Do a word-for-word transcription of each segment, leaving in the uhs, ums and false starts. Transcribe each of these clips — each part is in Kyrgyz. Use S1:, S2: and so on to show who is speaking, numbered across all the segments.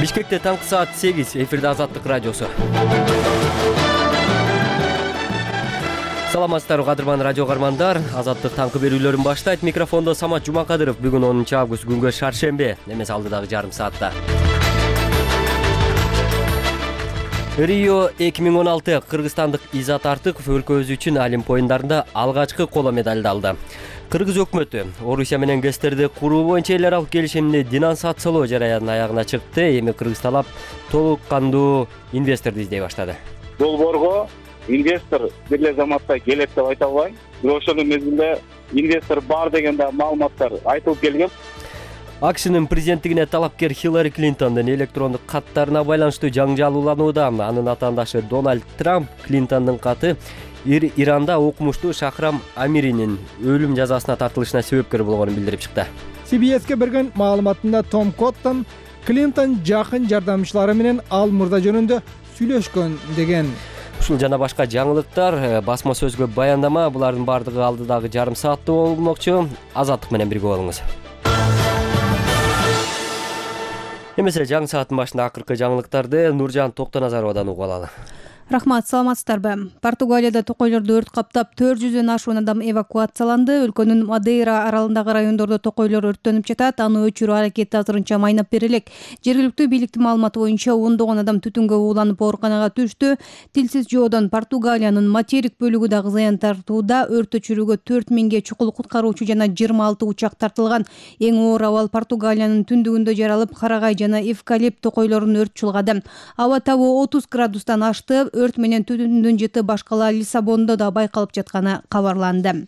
S1: Бишкекте таңкы саат сегиз, эфирде Азаттык радиосу. Саламатсыздарбы кадырман радио кармандар. Азаттык таңкы берүүлөрүн баштайт. Микрофондо Самат Жумакадыров. Бүгүн онунчу август, күнгө шаршембе. Эмес алдыдагы жарым саатта. Рио эки миң он алты кыргызстандык Изат Артыков өлкөбүз үчүн Олимп оюндарында алгачкы коло медалды алды. Кыргыз өкмөтү Орусия менен ГЭСтерди куруу боюнча эл аралык келишимди денонсациялоо жараянын аягына чыкты. Эми Кыргыз талап толук кандуу инвесторду издей баштады.
S2: Долбоорго инвестор бир эле заматта келет деп айта албайм. Бирок ошол мезгилде инвестор бар деген да маалыматтар айтылып келген.
S1: АКШнын президенттигине талапкер Хиллари Клинтондун электрондук каттарына байланыштуу жаңжалууланууда. Анын атаандашы Дональд Трамп Клинтондун каты Иранда окумуштуу Шахрам Амиринин өлүм жазасына тартылышына себепкер болгонун билдирип чыкты.
S3: си би эске берген маалыматында Том Коттон Клинтон жакын жардамчылары менен ал мурда жөнүндө сүйлөшкөн деген.
S1: Ушул жана башка жаңылыктар, басма сөзгө баяндама, булардын бардыгы алдыдагы жарым саатта болмокчу. Азаттык менен бирге болуңуз. Эмесе жаңы сааттын башында акыркы жаңылыктарды Нуржан Токтоназаровадан угуп алалы.
S4: Рахмат, саламатсыздарбы? Португалияда токойлорду өрт каптап төрт жүздөн ашуун адам эвакуацияланды. Өлкөнүн Мадейра аралындагы райондордо токойлор өрттөнүп жатат. Аны өчүрүү аракети азырынча майнап берилек. Жергиликтүү бийликтин маалыматы боюнча ондогон адам түтүнгө ууланып ооруканага түштү. Тилсиз жоодон Португалиянын материк бөлүгү дагы зыян тартууда. Өрт өчүрүүгө төрт миңге чукул куткаруучу жана жыйырма алты учак тартылган. Эң оор абал Португалиянын түндүгүндө жаралып, карагай жана эвкалипт токойлорун өрт чулгады. Аба табуу отуз градустан ашты. Өрт менен түтүндүн жыты башкала Лиссабондо да байкалып жатканы кабарланды.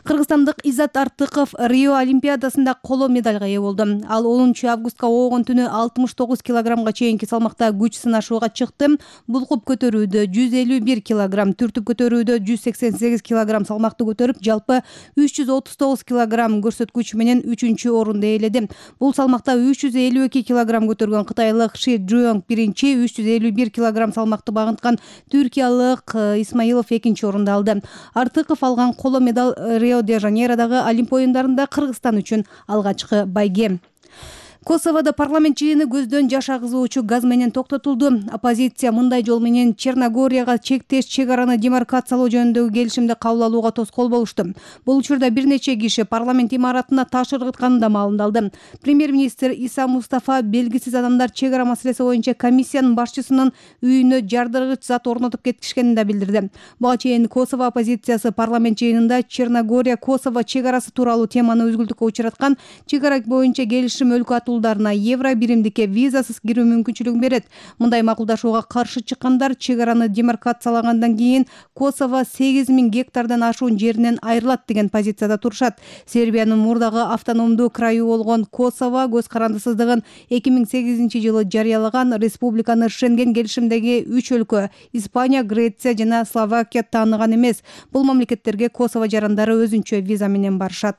S4: Кыргызстандык Изат Артыков Рио Олимпиадасында коло медалга ээ болду. Ал онунчу августка оогон түнү алтымыш тогуз килограммга чейинки салмакта күч сынашууга чыкты. Булкуп көтөрүүдө жүз элүү бир килограмм, түртүп көтөрүүдө жүз сексен сегиз килограмм салмакты көтөрүп, жалпы үч жүз отуз тогуз килограмм көрсөткүч менен үчүнчү орунду ээледи. Бул салмакта үч жүз элүү эки килограмм көтөргөн кытайлык Ши Жуёнг биринчи, үч жүз элүү бир килограмм салмакты багынткан түркиялык Исмаилов экинчи орунду алды. Артыков алган коло медаль Рио-де-Жанейродагы Олимп оюндарында Кыргызстан үчүн алгачкы байге. Косоводо парламент жыйыны көздөн жаш агызуучу газ менен токтотулду. Оппозиция мындай жол менен Черногорияга чектеш чек араны демаркациялоо жөнүндөгү келишимди кабыл алууга тоскоол болушту. Бул учурда бир нече киши парламент имаратына таш ыргытканы да маалымдалды. Премьер-министр Иса Мустафа белгисиз адамдар чек ара маселеси боюнча комиссиянын башчысынын үйүнө жардыргыч зат орнотуп кетишкенин да билдирди. Буга чейин Косово оппозициясы парламент жыйынында Черногория Косово чек арасы тууралуу теманы өзгүлтүккө учураткан. Чек ара боюнча келишим өлкө атуулдарына евро биримдикке визасыз кирүү мүмкүнчүлүгүн берет. Мындай макулдашууга каршы чыккандар чек араны демаркациялагандан кийин Косово сегиз миң гектардан ашуун жеринен айрылат деген позицияда турушат. Сербиянын мурдагы автономдуу крайы болгон Косово көз карандысыздыгын эки миң сегизинчи жылы жарыялаган. Республиканы Шенген келишимдеги үч өлкө Испания, Греция жана Словакия тааныган эмес. Бул мамлекеттерге Косово жарандары өзүнчө виза менен барышат.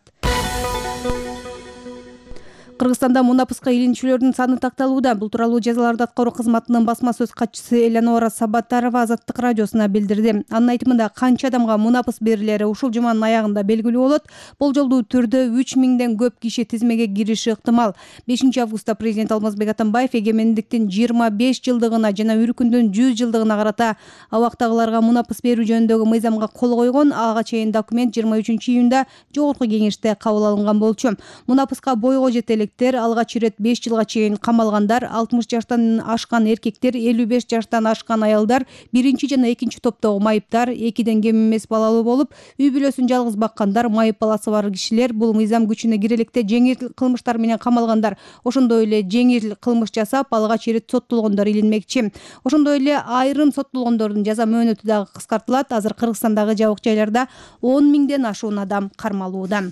S4: Кыргызстанда мунапыска илинчүлөрдүн саны такталууда. Бул тууралуу жазаларды аткаруу кызматынын басма сөз катчысы Элеонора Сабатарова Азаттык радиосуна билдирди. Анын айтымында канча адамга мунапыс берилери ушул жуманын аягында белгилүү болот. Болжолдуу түрдө үч миңден көп киши тизмеге кириши ыктымал. бешинчи августта президент Алмазбек Атамбаев эгемендиктин жыйырма беш жылдыгына жана Үркүндүн жүз жылдыгына карата абактагыларга мунапыс берүү жөнүндөгү мыйзамга кол койгон. Ага чейин документ жыйырма үчүнчү июнда жогорку кеңеште кабыл алынган болчу. Мунапыска бойго жетелик алгач ирет беш жылга чейин камалгандар, алтымыш жаштан ашкан эркектер, элүү беш жаштан ашкан аялдар, биринчи жана экинчи топтогу майыптар, экиден кем эмес балалуу болуп, үй бүлөсүн жалгыз баккандар, майып баласы бар кишилер, бул мыйзам күчүнө кире электе жеңил кылмыштар менен камалгандар, ошондой эле жеңил кылмыш жасап алгач ирет соттолгондор илинмекчи. Ошондой эле айрым соттолгондордун жаза мөөнөтү дагы кыскартылат. Азыр Кыргызстандагы жабык жайларда он миңден ашуун адам кармалууда.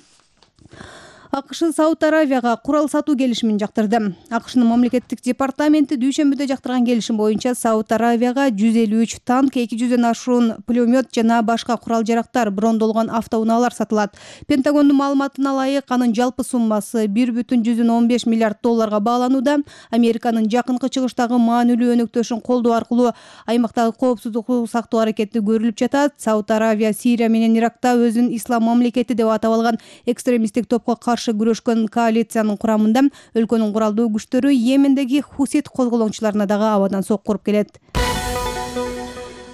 S4: АКШ Сауд Аравияга курал сатуу келишимин жактырды. АКШнын мамлекеттик департаменти дүйшөмбүдө жактырган келишим боюнча Сауд Аравияга жүз элүү үч танк, эки жүздөн ашуун пулемет жана башка курал-жарактар, брондолгон автоунаалар сатылат. Пентагондун маалыматына ылайык, анын жалпы суммасы бир бүтүн жүздөн он беш миллиард долларга бааланууда. Американын жакынкы чыгыштагы маанилүү өнөктөшүн колдоо аркылуу аймактагы коопсуздукту сактоо аракети көрүлүп жатат. Сауд Аравия Сирия менен Иракта өзүн ислам мамлекети деп атап алган экстремисттик топко каршы каршы күрөшкөн коалициянын курамында өлкөнүн куралдуу күчтөрү Йемендеги хусит козголоңчуларына дагы абадан сокку уруп келет.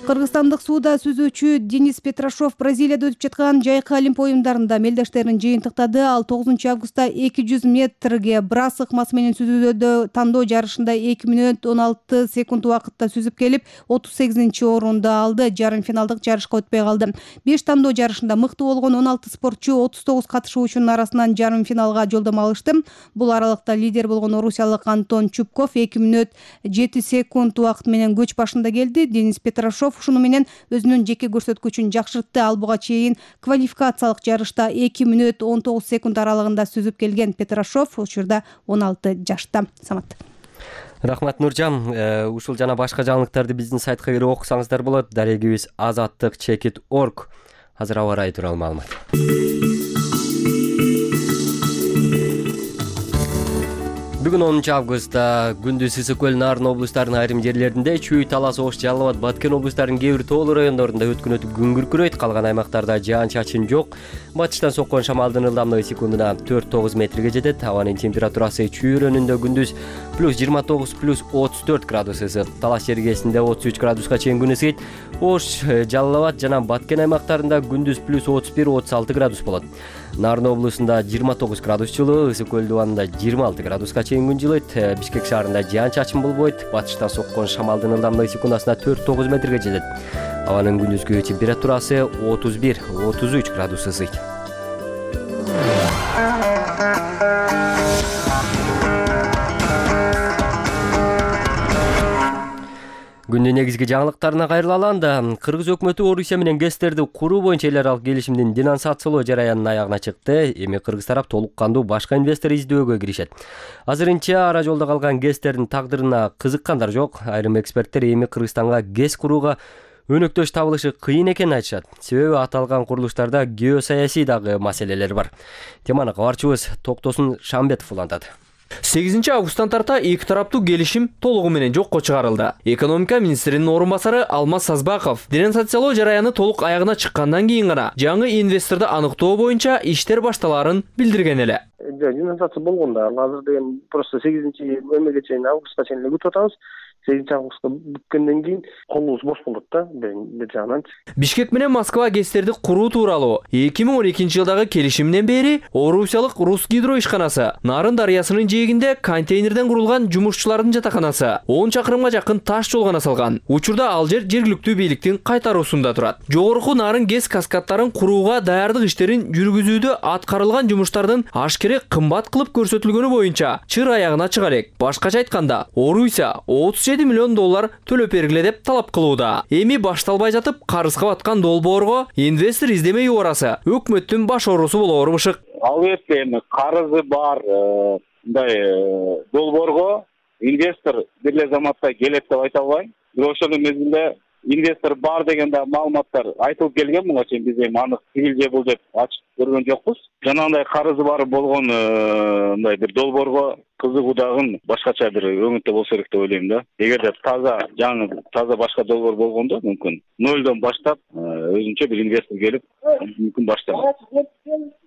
S4: Кыргызстандык сууда сүзүүчү Денис Петрашов Бразилияда өтүп жаткан жайкы Олимпия оюндарында мелдештерин жыйынтыктады. Ал тогузунчу августта эки жүз метрге брас ыкмасы менен сүзүүдө тандоо жарышында эки мүнөт он алты секунд убакытта сүзүп келип, отуз сегизинчи орунду алды. Жарым финалдык жарышка өтпөй калды. беш тандоо жарышында мыкты болгон он алты спортчу отуз тогуз катышуучунун арасынан жарым финалга жолдомо алышты. Бул аралыкта лидер болгон орусиялык Антон Чупков эки мүнөт жети секунд убакыт менен көч башында келди. Денис Петрашов ушуну менен өзүнүн жеке көрсөткүчүн жакшыртты. Ал буга чейин квалификациялык жарышта эки мүнөт он тогуз секунд аралыгында сүзүп келген Петрашов учурда он алты жашта. Самат.
S1: Рахмат Нуржан. Ушул жана башка жаңылыктарды биздин сайтка кирип окусаңыздар болот. Дарегибиз азаттык чекит точка орг. Азыр аба ырайы тууралуу маалымат. Бүгүн онунчу августта күндүз Ысык көл, Нарын облустарынын айрым жерлеринде, Чүй, Талас, Ош, Жалал Абад, Баткен облустарынын кээ бир тоолуу райондорунда өткөн өтүп күн күркүрөйт. Калган аймактарда жаан-чачын жок. Батыштан соккон шамалдын ылдамдыгы секундуна төрт тогуз метрге жетет. Абанын температурасы Чүй районунда күндүз плюс жыйырма тогуз плюс отуз төрт градус ысык. Талас жергесинде отуз үч градуска чейин күн ысыйт. Ош, Жалал Абад жана Баткен аймактарында күндүз плюс отуз бир отуз алты градус болот. Нарын облусунда жыйырма тогуз градус жылуу, Ысык көл дубанында жыйырма алты градуска чейин күн жылыйт. Бишкек шаарында жаан-чачын болбойт. Батыштан соккон шамалдын ылдамдыгы секундасына төрт тогуз метрге жетет. Абанын күндүзгү температурасы отуз бир отуз үч градус ысыйт. Күндүн негизги жаңылыктарына кайрылаланда, Кыргыз өкмөтү Орусия менен ГЭСтерди куруу боюнча эл аралык келишимдин денонсациялоо жараянынын аягына чыкты. Эми Кыргыз тарап толук кандуу башка инвестор издөөгө киришет. Азырынча ара жолдо калган ГЭСтердин тагдырына кызыккандар жок. Айрым эксперттер эми Кыргызстанга ГЭС курууга өнөктөш табылышы кыйын экенин айтышат. Себеби аталган курулуштарда геосаясий дагы маселелер бар. Теманы кабарчыбыз Токтосун Шамбетов улантат.
S5: сегизинчи августтан тарта эки тараптуу келишим толугу менен жокко чыгарылды. Экономика министринин орун басары Алмаз Сазбаков денонсациялоо жараяны толук аягына чыккандан кийин гана жаңы инвесторду аныктоо боюнча иштер башталаарын билдирген эле.
S6: Денонсация болгон да, азыр деген просто сегизинчи эмеге чейин августка чейин күтүп атабыз. сегизинчи августка бүткөндөн кийин колубуз бош болот да, бир жагынан.
S5: Бишкек менен Москва ГЭСтерди куруу тууралуу эки миң он экинчи жылдагы келишимден бери Орусиялык Русгидро ишканасы, Нарын дарыясынын жээгинде контейнерден курулган жумушчулардын жатаканасы он чакырымга жакын таш жол гана салган. Учурда ал жер жергиликтүү бийликтин кайтаруусунда турат. Жогорку Нарын ГЭС каскадтарын курууга даярдык иштерин жүргүзүүдө аткарылган жумуштардын ашкере кымбат кылып көрсөтүлгөнү боюнча чыр аягына чыга элек. Башкача айтканда, Орусия отуз жети миллион доллар төлөп бергиле деп талап кылууда. Эми башталбай жатып карызга баткан долбоорго инвестор издемей убарасы өкмөттүн баш оорусу болоору бышык.
S2: Албетте эми карызы бар мындай долбоорго инвестор бир эле заматта келет деп айта албайм. Бирок ошол мезгилде инвестор бар деген да маалыматтар айтылып келген. Буга чейин биз эми анык тигил же бул деп ачып көргөн жокпуз. Жанагындай карызы бар болгон мындай бир долбоорго кызыгуудагын башкача бир өңүттө болсо керек деп ойлойм да. Эгерде таза жаңы таза башка долбоор болгондо мүмкүн нөлдөн баштап өзүнчө бир инвестор келип мүмкүн башталат.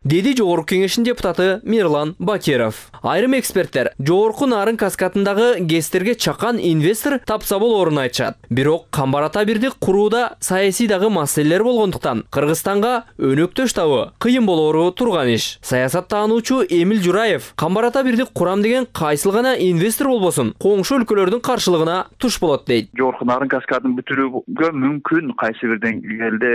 S5: Деди Жогорку кеңештин депутаты Мирлан Бакиров. Айрым эксперттер Жогорку Нарын каскадындагы ГЭСтерге чакан инвестор тапса болоорун айтышат. Бирок Камбарата бирди курууда саясий дагы маселелер болгондуктан Кыргызстанга өнөктөш табуу кыйын болоору турган иш. Саясаттануучу Эмил Жураев Камбарата бирди курам деген кайсыл гана инвестор болбосун коңшу өлкөлөрдүн каршылыгына туш болот дейт.
S7: Жогорку Нарын каскадын бүтүрүүгө мүмкүн кайсы бир деңгээлде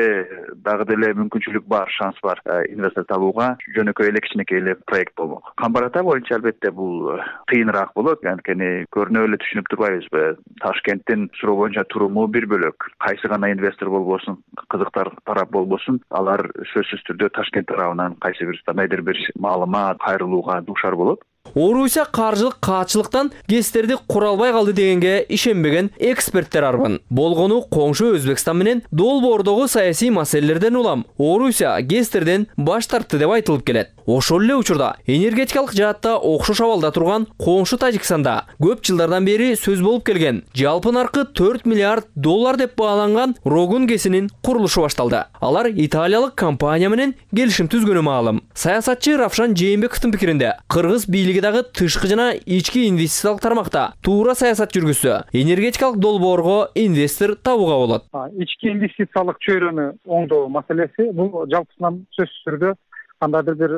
S7: дагы деле мүмкүнчүлүк бар, шанс бар инвестор табууга. Жөнөкөй эле кичинекей эле проект болмок. Камбарата боюнча албетте бул кыйыныраак болот. Анткени көрүнүп эле түшүнүп турбайбызбы? Ташкенттин суроо боюнча туруму бир бөлөк. Кайсы гана инвестор болбосун, кызыктар тарап болбосун, алар сөзсүз түрдө Ташкент тарабынан кайсы бир кандайдыр бир маалымат кайрылууга дуушар болот.
S5: Орусия каржылык каатчылыктан ГЭСтерди кура албай калды дегенге ишенбеген эксперттер арбын. Болгону коңшу Өзбекстан менен долбоордогу саясий маселелерден улам Орусия ГЭСтерден баш тартты деп айтылып келет. Ошол эле учурда энергетикалык жаатта окшош абалда турган коңшу Тажикстанда көп жылдардан бери сөз болуп келген жалпы наркы төрт миллиард доллар деп бааланган Рогун КЭСинин курулушу башталды. Алар италиялык компания менен келишим түзгөнү маалым. Саясатчы Равшан Жээнбековдун пикиринде, кыргыз бийлиги дагы тышкы жана ички инвестициялык тармакта туура саясат жүргүзсө, энергетикалык долбоорго инвестор табууга болот.
S8: Ички инвестициялык чөйрөнү оңдоо маселеси бул жалпысынан сөзсүз түрдө кандайдыр бир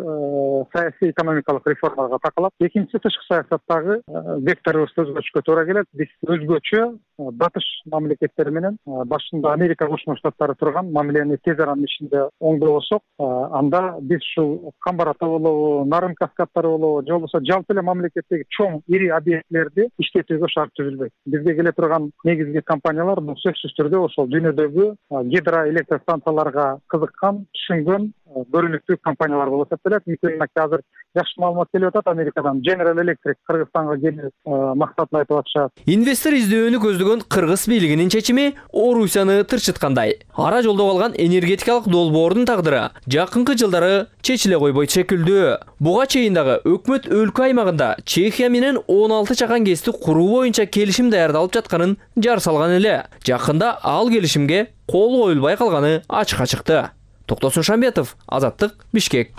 S8: саясий экономикалык реформага такалат. Экинчи тышкы саясаттагы векторубузду өзгөртүшкө туура келет. Биз өзгөчө батыш мамлекеттери менен башында Америка Кошмо Штаттары турган мамилени тез аранын ичинде оңдобосок, анда биз ушул Камбарата болобу, Нарын каскадтары болобу, же болбосо жалпы эле мамлекеттеги чоң ири объектилерди иштетүүгө шарт түзүлбөйт. Бизге келе турган негизги компаниялар бул сөзсүз түрдө ошол дүйнөдөгү гидроэлектр станцияларга кызыккан, түшүнгөн көрүнүктүү компаниялар болуп эсептелет. Мисалга азыр жакшы маалымат келип атат Америкадан. General Electric Кыргызстанга келүү максатын айтып атышат.
S5: Инвестор издөөнү көздөгөн кыргыз бийлигинин чечими Орусияны тырчыткандай. Ара жолдо калган энергетикалык долбоордун тагдыры жакынкы жылдары чечиле койбойт шекилдүү. Буга чейин дагы өкмөт өлкө аймагында Чехия менен он алты чакан КЭСти куруу боюнча келишим даярдалып жатканын жар салган эле. Жакында ал келишимге кол коюлбай калганы ачыкка чыкты. Токтосун Шамбетов, Азаттык, Бишкек.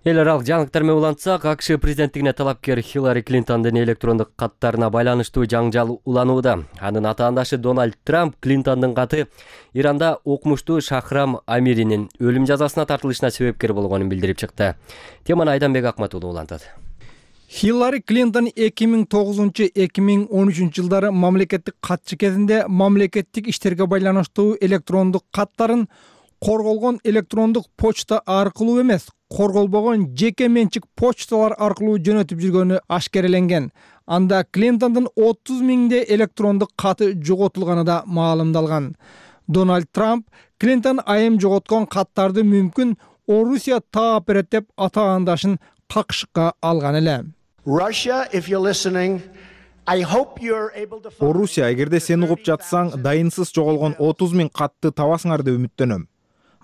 S1: Эл аралык жаңылыктар менен улантсак, АКШ президенттигине талапкер Хиллари Клинтондун электрондук каттарына байланыштуу жаңжал уланууда. Анын атаандашы Дональд Трамп Клинтондун каты Иранда окумуштуу Шахрам Амиринин өлүм жазасына тартылышына себепкер болгонун билдирип чыкты. Теманы Айданбек Акматулу улантат.
S3: Хиллари Клинтон эки миң тогузунчу — эки миң он үчүнчү жылдары мамлекеттик катчы кезинде мамлекеттик иштерге байланыштуу электрондук каттарын корголгон электрондук почта аркылуу эмес, корголбогон жеке менчик почталар аркылуу жөнөтүп жүргөнү ашкереленген. Анда Клинтондун отуз миңдей электрондук каты жоготулганы да маалымдалган. Дональд Трамп Клинтон айым жоготкон каттарды мүмкүн Орусия таап берет деп атаандашын какшыкка алган эле.
S9: Орусия, эгерде сен угуп жатсаң, дайынсыз жоголгон отуз миң катты табасыңар деп үмүттөнөм.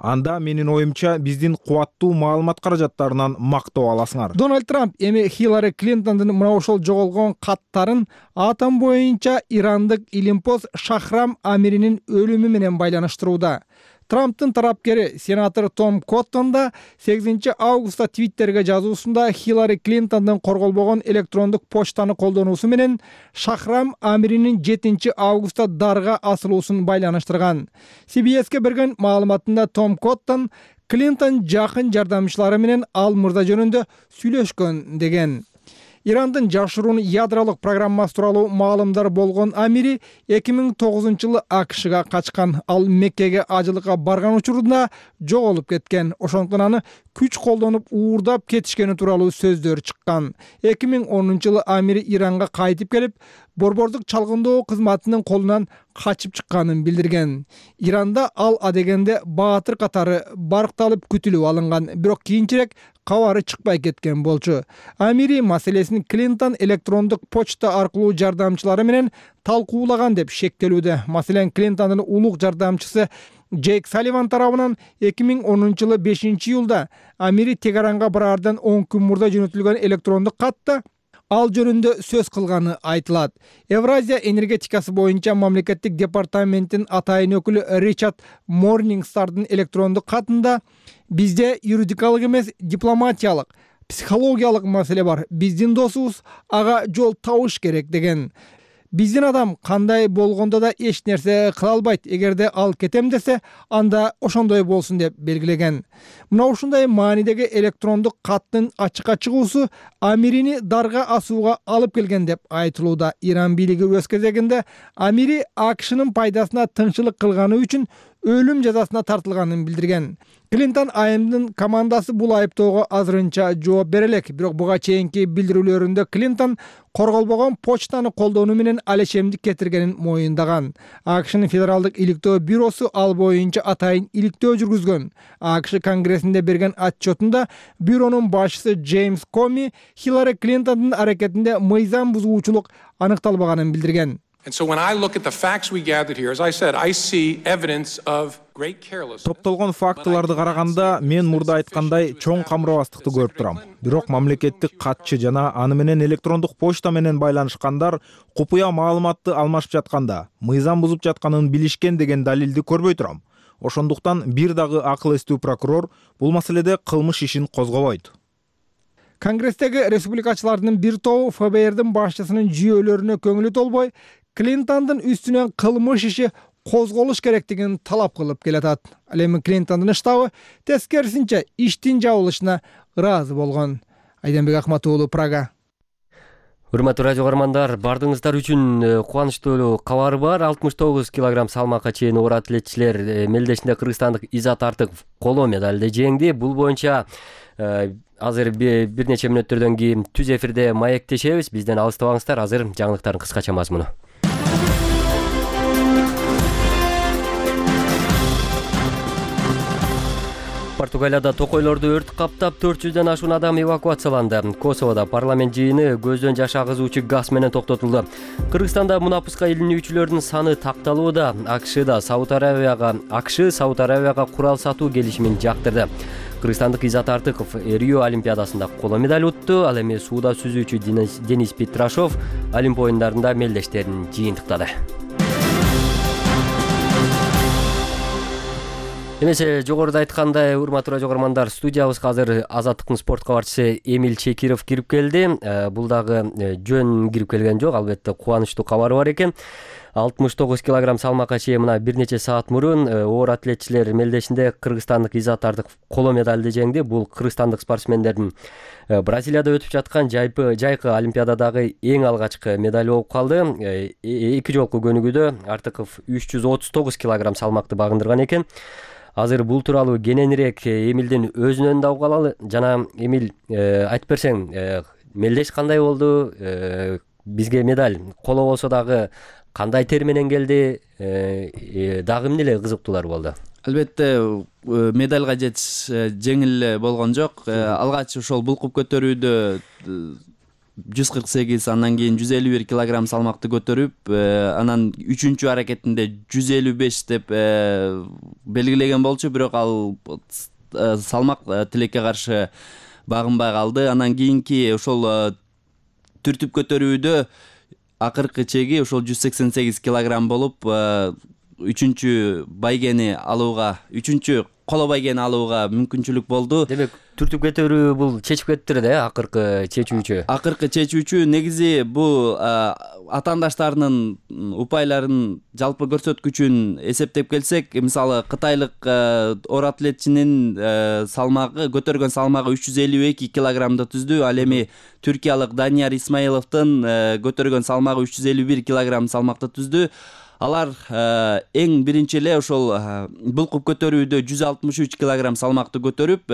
S9: Анда менин оюмча биздин кубаттуу маалымат каражаттарынан мактоо аласыңар.
S3: Дональд Трамп эми Хиллари Клинтондун мына ошол жоголгон каттарын атом боюнча ирандык илимпоз Шахрам Амиринин өлүмү менен байланыштырууда. Трамптын тарапкери сенатор Том Коттон да сегизинчи августта Твиттерге жазуусунда Хиллари Клинтондун корголбогон электрондук почтаны колдонуусу менен Шахрам Амиринин жетинчи августта дарга асылуусун байланыштырган. Си Би Эске берген маалыматында Том Коттон Клинтон жакын жардамчылары менен ал мырза жөнүндө сүйлөшкөн деген. Ирандын жашыруун ядролук программасы тууралуу маалымдар болгон Амири эки миң тогузунчу жылы АКШга качкан. Ал Меккеге ажылыкка барган учурунда жоголуп кеткен. Ошондуктан аны күч колдонуп уурдап кетишкени тууралуу сөздөр чыккан. эки миң онунчу жылы Амири Иранга кайтып келип, борбордук чалгындоо кызматынын колунан качып чыкканын билдирген. Иранда ал адегенде баатыр катары баркталып күтүлүп алынган, бирок кийинчерээк кабары чыкпай кеткен болчу. Амири маселесин Клинтон электрондук почта аркылуу жардамчылары менен талкуулаган деп шектелүүдө. Маселен, Клинтондун улук жардамчысы Джейк Салливан тарабынан эки миң онунчу жылы бешинчи июлда Амири Тегеранга бараардан он күн мурда жөнөтүлгөн электрондук катта ал жөнүндө сөз кылганы айтылат. Евразия энергетикасы боюнча мамлекеттик департаменттин атайын өкүлү Ричард Морнингстардын электрондук катында бизде юридикалык эмес, дипломатиялык, психологиялык маселе бар. Биздин досубуз ага жол табыш керек деген. Биздин адам кандай болгондо да эч нерсе кыла албайт. Эгерде ал кетем десе, анда ошондой болсун деп белгилеген. Мына ушундай маанидеги электрондук каттын ачыкка чыгуусу Амирини дарга асууга алып келген деп айтылууда. Иран бийлиги өз кезегинде Амири АКШнын пайдасына тыңчылык кылганы үчүн өлүм жазасына тартылганын билдирген. Клинтон айымдын командасы бул айыптоого азырынча жооп бере элек, бирок буга чейинки билдирүүлөрүндө Клинтон корголбогон почтаны колдонуу менен алешемдик кетиргенин моюндаган. АКШнын федералдык иликтөө бюросу ал боюнча атайын иликтөө жүргүзгөн. АКШ Конгрессинде берген отчетунда бюронун башчысы Джеймс Коми Хиллари Клинтондун аракетинде мыйзам бузуучулук аныкталбаганын билдирген.
S10: And so when I look at the facts we gathered here, as I said, I see evidence of great carelessness.
S9: Топтолгон фактыларды караганда мен мурда айткандай чоң камырабастыкты көрүп турам. Бирок мамлекеттик катчы жана аны менен электрондук почта менен байланышкандар купуя маалыматты алмашып жатканда мыйзам бузуп жатканын билишкен деген далилди көрбөй турам. Ошондуктан бир дагы акыл эстүү прокурор бул маселеде кылмыш ишин козгобойт.
S3: Конгресстеги республикачылардын бир тобу эф бэ эрдин башчысынын жүйөлөрүнө көңүлү толбой, Клинтондун үстүнөн кылмыш иши козголуш керектигин талап кылып келатат. Ал эми Клинтондун штабы тескерисинче иштин жабылышына ыраазы болгон. Айденбек Акматуулу, Прага.
S1: Урматтуу радио көрөрмандар, бардыгыңыздар үчүн кубанычтуу кабар бар. алтымыш тогуз килограмм салмакка чейин оор атлетчилер мелдешинде кыргызстандык Изат Артыков коло медалды жеңди. Бул боюнча азыр бир нече мүнөттөрдөн кийин түз эфирде маектешебиз. Бизден алыстабаңыздар. Азыр жаңылыктардын кыскача мазмуну. Португалияда токойлорду өрт каптап төрт жүздөн ашуун адам эвакуацияланды. Косоводо парламент жыйыны көздөн жаш агызуучу газ менен токтотулду. Кыргызстанда мунапуска илинүүчүлөрдүн саны такталууда. АКШда Сауд Арабияга АКШ Сауд Арабияга курал сатуу келишимин жактырды. Кыргызстандык Изат Артыков Рио олимпиадасында коло медаль утту. Ал эми сууда сүзүүчү Денис Петрашов Олимп оюндарында мелдештерин жыйынтыктады. Эмесе жогоруда айткандай, урматтуу радио көрөрмандар, студиябызга азыр Азаттыктын спорт кабарчысы Эмиль Чекиров кирип келди. Бул дагы жөн кирип келген жок, албетте кубанычтуу кабар бар экен. алтымыш тогуз килограмм салмакка чейин мына бир нече саат мурун оор атлетчилер мелдешинде кыргызстандык Изат Артыков коло медалды жеңди. Бул кыргызстандык спортсмендердин Бразилияда өтүп жаткан жайпы жайкы олимпиададагы эң алгачкы медаль болуп калды. Эки жолку көнүгүүдө Артыков үч жүз отуз тогуз килограмм салмакты багындырган экен. Азыр бул тууралуу кененирээк Эмилдин өзүнөн да угалы. Жана Эмиль, айтып берсең, мелдеш кандай болду? Бизге медаль коло болсо дагы кандай тер менен келди? Дагы эмне эле кызыктуулар болду?
S11: Албетте, медальга жетиш жеңил болгон жок. Алгач ошол булкуп көтөрүүдө жүз кырк сегиз, андан кийин жүз элүү бир килограмм салмакты көтөрүп, анан үчүнчү аракетинде жүз элүү беш деп белгилеген болчу, бирок ал салмак тилекке каршы багынбай калды. Анан кийинки ошол түртүп көтөрүүдө акыркы чеги ошол жүз сексен сегиз килограмм болуп, үчүнчү байгени алууга, үчүнчү коло байгени алууга мүмкүнчүлүк болду.
S1: Демек, түртүп көтөрүү бул чечип кетти да, акыркы чечүүчү.
S11: Акыркы чечүүчү негизи бул атаандаштарынын упайларын жалпы көрсөткүчүн эсептеп келсек, мисалы кытайлык оор атлетчинин салмагы, көтөргөн салмагы үч жүз элүү эки килограммды түздү. Ал эми түркиялык Данияр Исмаиловдун көтөргөн салмагы үч жүз элүү бир килограмм салмакты түздү. Алар эң биринчи эле ошол булкуп көтөрүүдө жүз алтымыш үч килограмм салмакты көтөрүп,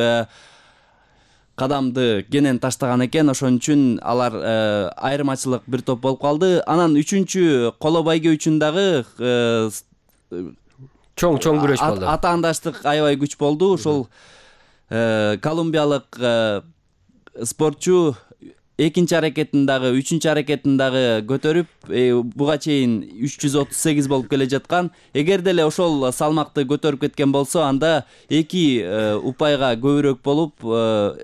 S11: кадамды кенен таштаган экен. Ошон үчүн алар айырмачылык бир топ болуп калды. Анан үчүнчү коло байге үчүн дагы
S1: чоң-чоң күрөш болду.
S11: Атаандаштык аябай күч болду. Ошол колумбиялык спортчу экинчи аракетин дагы, үчүнчү аракетин дагы көтөрүп, буга чейин үч жүз отуз сегиз болуп келе жаткан. Эгер деле ошол салмакты көтөрүп кеткен болсо, анда эки упайга көбүрөөк болуп,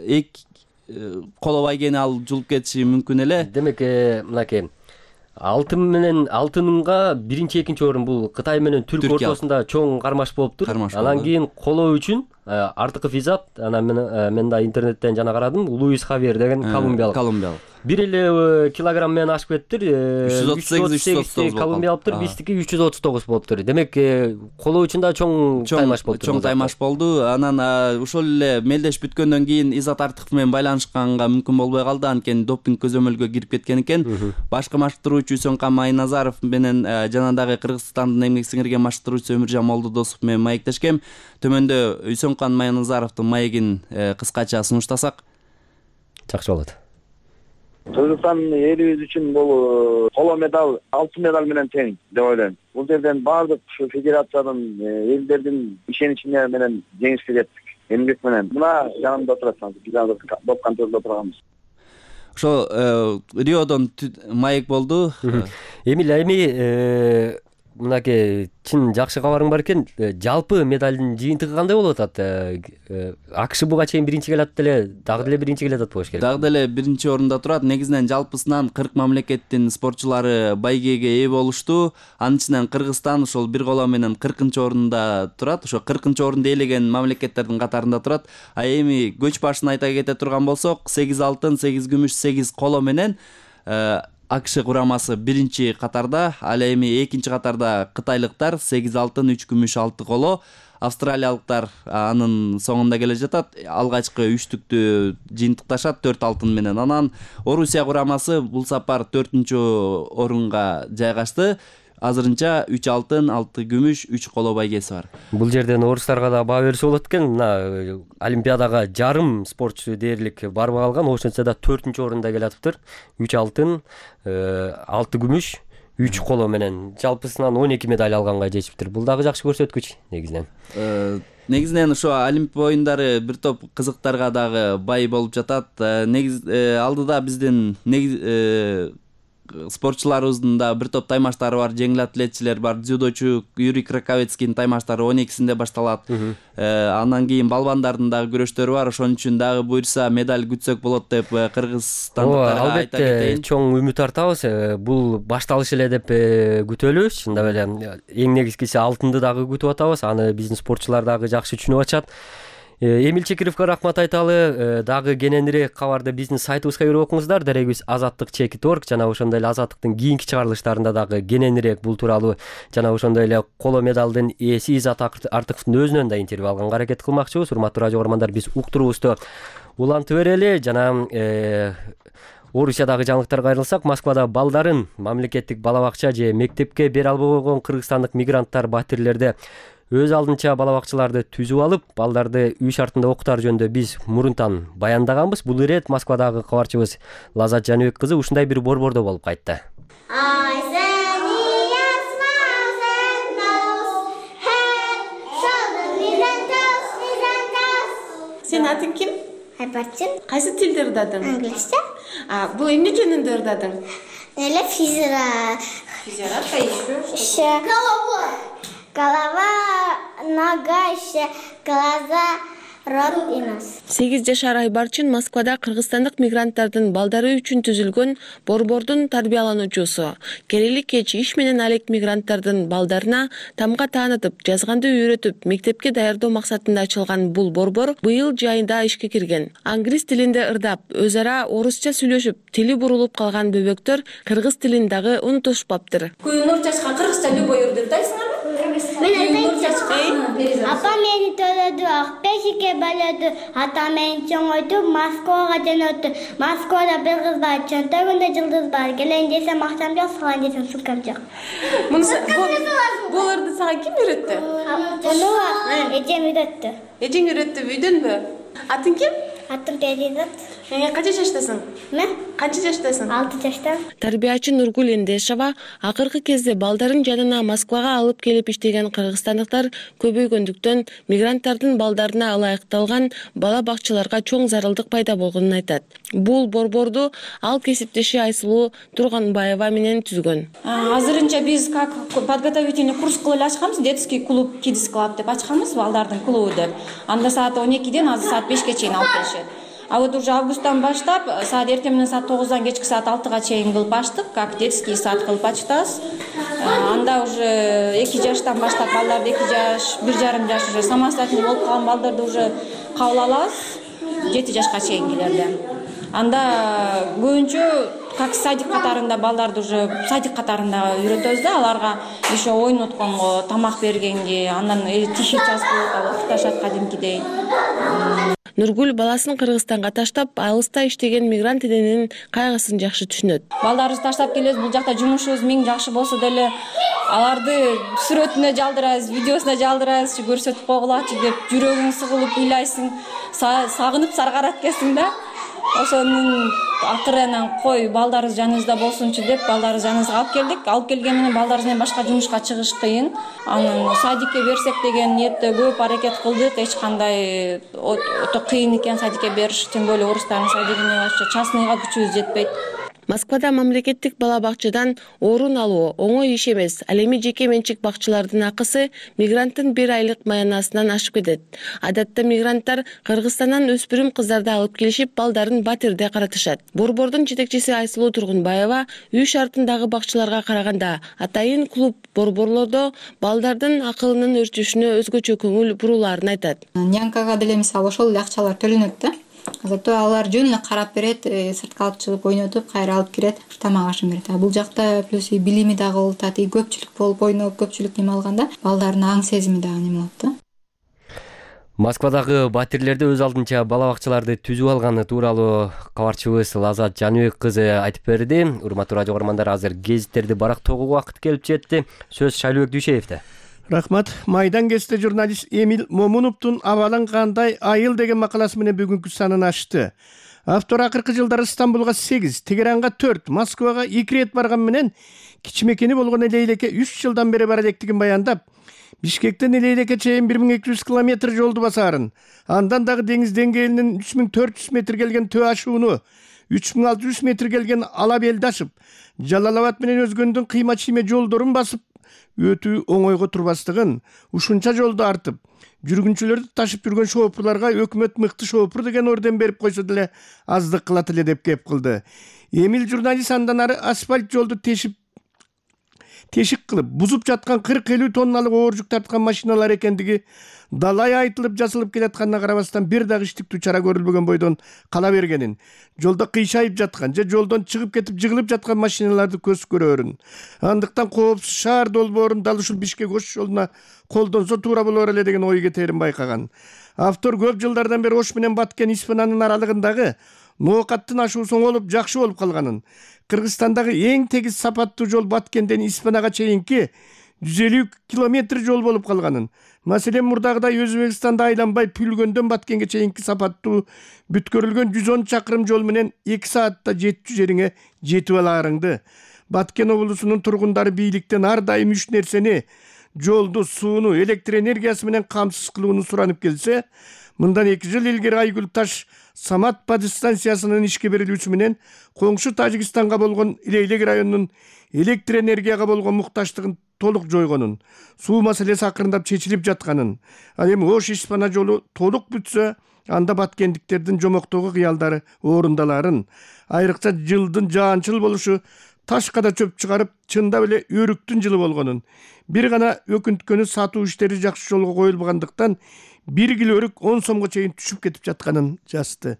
S11: эки коло байгени ал жулуп кетиши мүмкүн эле.
S1: Демек, мынакей алтын менен алтынга биринчи, экинчи орун бул Кытай менен Түрк ортосунда чоң кармаш болуптур. Анан кийин коло үчүн Артыков Изат, анан мен да интернеттен жана карадым, Луис Хавьер деген колумбиялык.
S11: Колумбиялык.
S1: Бир эле килограмм менен ашып кеттир.
S11: үч жүз отуз сегиз
S1: колумбиялыктыр, биздики үч жүз отуз тогуз болуптур. Демек, коло үчүн да чоң таймаш болду.
S11: Чоң таймаш болду. Анан ошол эле мелдеш бүткөндөн кийин Изат Артыков менен байланышканга мүмкүн болбой калды, анткени допинг көзөмөлгө кирип кеткен экен. Башкы маштыруучу Сөңкан Майназаров менен жана дагы Кыргызстандын эмгек сиңирген маштыруучусу Өмүржан Молдодосов менен маектешкем. Төмөндө Сөңкан Майназаровдун маегин кыскача сунуштасак.
S1: Жакшы болот.
S12: Кыргызстан элибиз үчүн бул коло медаль, алтын медаль менен тең деп ойлойм. Бул жерден баардык ушу федерациянын, элдердин ишеничине менен жеңишке жеттик. Эмгек менен. Мына жанымда отурат, биз азыр доп контролдо турганбыз.
S11: ошо Риодон маек болду.
S1: Эмил, эми мынакей чын жакшы кабарың бар экен. Жалпы медалдын жыйынтыгы кандай болуп атат? АКШ буга чейин биринчи келатат эле, дагы деле биринчи келатат болуш керек.
S11: Дагы деле биринчи орунда турат. Негизинен жалпысынан кырк мамлекеттин спортчулары байгеге ээ болушту. Анын ичинен Кыргызстан ошол бир коло менен кыркынчы орунда турат. Ошо кыркынчы орунду ээлеген мамлекеттердин катарында турат. А эми көч башын айта кете турган болсок, сегиз алтын, сегиз күмүш, сегиз коло менен АКШ курамасы биринчи катарда, ал эми экинчи катарда кытайлыктар сегиз алтын, үч күмүш, алты коло, австралиялыктар анын соңунда келе жатат. Алгачкы үчтүктү жыйынтыкташат төрт алтын менен. Анан Орусия курамасы бул сапар төртүнчү орунга жайгашты. Азырынча үч алтын, алты күмүш, үч коло байгеси бар.
S1: Бул жерден орустарга да баа берсе болот экен. Мына Олимпиадага жарым спортчу дээрлик барбай калган, ошентсе да төртүнчү орунда келатыптыр. үч алтын, алты күмүш, үч коло менен жалпысынан он эки медаль алганга жетиптир. Бул дагы жакшы көрсөткүч негизинен.
S11: Негизинен ошо Олимпия оюндары бир топ кызыктарга дагы бай болуп жатат. Негиз алдыда биздин негиз спортчуларыбыздын да бир топ таймаштары бар, жеңил атлетчилер бар. Дзюдочу Юрий Краковецкийдин таймаштары он экисинде башталат. Андан кийин балбандардын дагы күрөштөрү бар. Ошон үчүн дагы буйрса медаль күтсөк болот деп кыргызстандыктарга айта кетейин.
S1: Албетте чоң үмүт артабыз. Бул башталыш эле деп күтөлү. Чындап эле эң негизгиси алтынды дагы күтүп атабыз. Аны биздин спортчулар дагы жакшы түшүнүп атышат. Эмил Чекировго рахмат айталы. Дагы кененирээк кабарды биздин сайтыбызга кирип окуңуздар. Дарегибиз азаттык чекит точка орг жана ошондой эле азаттыктын кийинки чыгарылыштарында дагы кененирээк бул тууралуу жана ошондой эле коло медалдын ээси Изат Артыковдун өзүнөн да интервью алганга аракет кылмакчыбыз. Урматтуу радио көрөрмандар, биз уктуруубузду улантып берели. Жана Орусиядагы жаңылыктарга айрылсак, Москвада балдарын мамлекеттик бала бакча же мектепке бере албай койгон кыргызстандык мигранттар батирлерде өз алдынча бала бакчаларды түзүп алып, балдарды үй шартында окутар жөнүндө биз мурунтан баяндаганбыз. Бул ирет Москвадагы кабарчыбыз Лазат Жаныбек кызы ушундай бир борбордо болуп кайтты.
S13: Сен атың ким?
S14: Айбарчын.
S13: Кайсы тилди ырдадың?
S14: Англисче.
S13: А, бул эмне жөнүндө ырдадың?
S14: Эле физра.
S13: Физра, кайсы?
S14: Еще. Голова. Голова, нога, еще глаза, рот и нос.
S13: сегиз жашар Айбарчын Москвада кыргызстандык мигранттардын балдары үчүн түзүлгөн борбордун тарбиялануучусу. Керели кеч иш менен алек мигранттардын балдарына тамга таанытып, жазганды үйрөтүп, мектепке даярдоо максатында ачылган бул борбор быйыл жайында ишке кирген. Англис тилинде ырдап, өз ара орусча сүйлөшүп, тили бурулуп калган бөбөктөр кыргыз тилин дагы унутушпаптыр.
S15: Күйүнүр жашка кыргызча любой ырды ырдайсыңарбы?
S14: Мен айтайынчы. Апам мени төлөдү, Акбешикке бөлөдү, атам мени чоңойту, Москвага жөнөттү. Москвада бир кыз бар, чөнтөгүндө жылдыз бар. Келейин десем акчам жок, салайын десем сумкам жок.
S13: Бул ырды сага ким үйрөттү?
S14: Муну эжем үйрөттү.
S13: Эжең үйрөттү, үйдөнбү? Атың ким?
S14: Атым Перизат.
S13: Канча жаштасың?
S14: Мен
S13: канча жаштасың?
S14: алты жаштамын.
S13: Тарбиячы Нургул Эндешова акыркы кезде балдарын жанына Москвага алып келип иштеген кыргызстандыктар көбөйгөндүктөн мигранттардын балдарына ылайыкталган бала бакчаларга чоң зарылдык пайда болгонун айтат. Бул борборду ал кесиптеши Айсулуу Турганбаева менен түзгөн.
S15: Азырынча биз как подготовительный курс кылып ачканбыз, детский клуб, Kids Club деп ачканбыз, балдардын клубу деп. Анда саат он экиден азыр саат бешке чейин алып келишет. А вот уже августтан баштап саат эртең менен саат тогуздан кечки саат алтыга чейин кылып ачтык, как детский сад кылып ачтабыз. Анда уже эки жаштан баштап балдарды эки жаш, бир жарым жаш уже самостоятельный болуп калган балдарды уже кабыл алабыз, жети жашка чейингилерди. Анда көбүнчө как садик катарында балдарды уже садик катарында үйрөтөбүз да, аларга еще ойнотконго, тамак бергенге, андан тиши жазып окутушат кадимкидей.
S13: Нургул баласын Кыргызстанга таштап, алыста иштеген мигрант эненин кайгысын жакшы түшүнөт.
S15: Балдарыбызды таштап келебиз, бул жакта жумушубуз миң жакшы болсо деле аларды сүрөтүнө жалдырабыз, видеосуна жалдырабыз, көрсөтүп койгулачы деп жүрөгүң сыгылып ыйлайсың, сагынып саргарат экенсиң да. Ошонун акыры анан кой балдарыбыз жаныбызда болсунчу деп балдарыбыз жаныбызга алып келдик. Алып келген менен балдарыбыз менен башка жумушка чыгыш кыйын. Анан садикке берсек деген ниетте көп аракет кылдык. Эч кандай өтө кыйын экен садикке бериш, тем более орустардын садигине вообще частныйга күчүбүз жетпейт.
S13: Москвада мамлекеттик бала бакчадан орун алуу оңой иш эмес. Ал эми жеке менчик бакчалардын акысы мигранттын бир айлык маянасынан ашып кетет. Адатта мигранттар Кыргызстандан өспүрүм кыздарды алып келишип, балдарын Батирде каратышат. Борбордун жетекчиси Айсулуу Тургунбаева үй шартындагы бакчаларга караганда атайын клуб борборлордо балдардын акылынын өрчүшүнө өзгөчө көңүл бурулаарын айтат.
S16: Нянкага деле мисалы ошол эле акчалар төлөнөт да. Зато алар жөн эле карап берет, сыртка алып чыгып ойнотуп, кайра алып кирет, тамак ашын берет. А бул жакта плюс и билими дагы улутат, и көпчүлүк болуп ойноп, көпчүлүк неме алганда балдардын аң сезими дагы неме болот да.
S1: Москвадагы батирлерде өз алдынча бала бакчаларды түзүп алганы тууралуу кабарчыбыз Лазат Жаныбек кызы айтып берди. Урматтуу радио көрөрмандар, азыр гезиттерди барактоого убакыт келип жетти. Сөз Шайлыбек Дүйшеевде.
S17: Рахмат. Майдан кесте журналист Эмил Момуновдун «Абалың кандай айыл» деген макаласы менен бүгүнкү санын ачты. Автор акыркы жылдары Стамбулга сегиз, Тегеранга төрт, Москвага эки ирет барган менен кичмекени болгон Элейлекке үч жылдан бери бара электигин баяндап, Бишкектен Элейлекке чейин бир миң эки жүз километр жолду басаарын, андан дагы деңиз деңгээлинин үч миң төрт жүз метр келген Төө ашууну, үч миң алты жүз метр келген Ала белди ашып, Жалал-Абад менен өзгөндүн кыйма-чийме жолдорун басып өтүү оңойго турбастыгын, ушунча жолду артып, жүргүнчүлөрдү ташып жүргөн шоопурларга өкмөт мыкты шоопур деген орден берип койсо деле аздык кылат эле деп кеп кылды. Эмил журналист андан ары асфальт жолду тешип тешик кылып, бузуп жаткан кырк элүү тонналык оор жүк тарткан машиналар экендиги далай айтылып жасылып келатканына карабастан бир дагы иштиктүү чара көрүлбөгөн бойдон кала бергенин, жолдо кыйшайып жаткан же жолдон чыгып кетип жыгылып жаткан машиналарды көз көрөрүн. Андыктан коопсуз шаар долбоорун дал ушул Бишкек Ош жолуна колдонсо туура болор эле деген ой кетээрин байкаган. Автор көп жылдардан бери Ош менен Баткен Испананын аралыгындагы ноокаттын ашуусу оңолуп жакшы болуп калганын, Кыргызстандагы эң тегиз сапаттуу жол Баткенден Испанага чейинки жүз элүү километр жол болуп калганын, маселен мурдагыдай Өзбекстанда айланбай Пүлгөндөн Баткенге чейинки сапаттуу бүткөрүлгөн жүз он чакырым жол менен эки саатта жетчү жериңе жетип алаарыңды. Баткен облусунун тургундары бийликтен ар дайым үч нерсени: жолду, сууну, электр энергиясы менен камсыз кылууну суранып келсе, мындан эки жыл илгери Айгүл Таш Самат подстанциясынын ишке берилүүсү менен коңшу Тажикстанга болгон Илейлек районунун электр энергияга болгон муктаждыгын толук жойгонун, суу маселеси акырындап чечилип жатканын, ал эми Ош Испана жолу толук бүтсө, анда баткендиктердин жомоктогу кыялдары орундаларын, айрыкча жылдын жаанчыл болушу ташка да чөп чыгарып, чындап эле өрүктүн жылы болгонун, бир гана өкүнткөнү сатуу иштери жакшы жолго коюлбагандыктан бир кило өрүк он сомго чейин түшүп кетип жатканын жазды.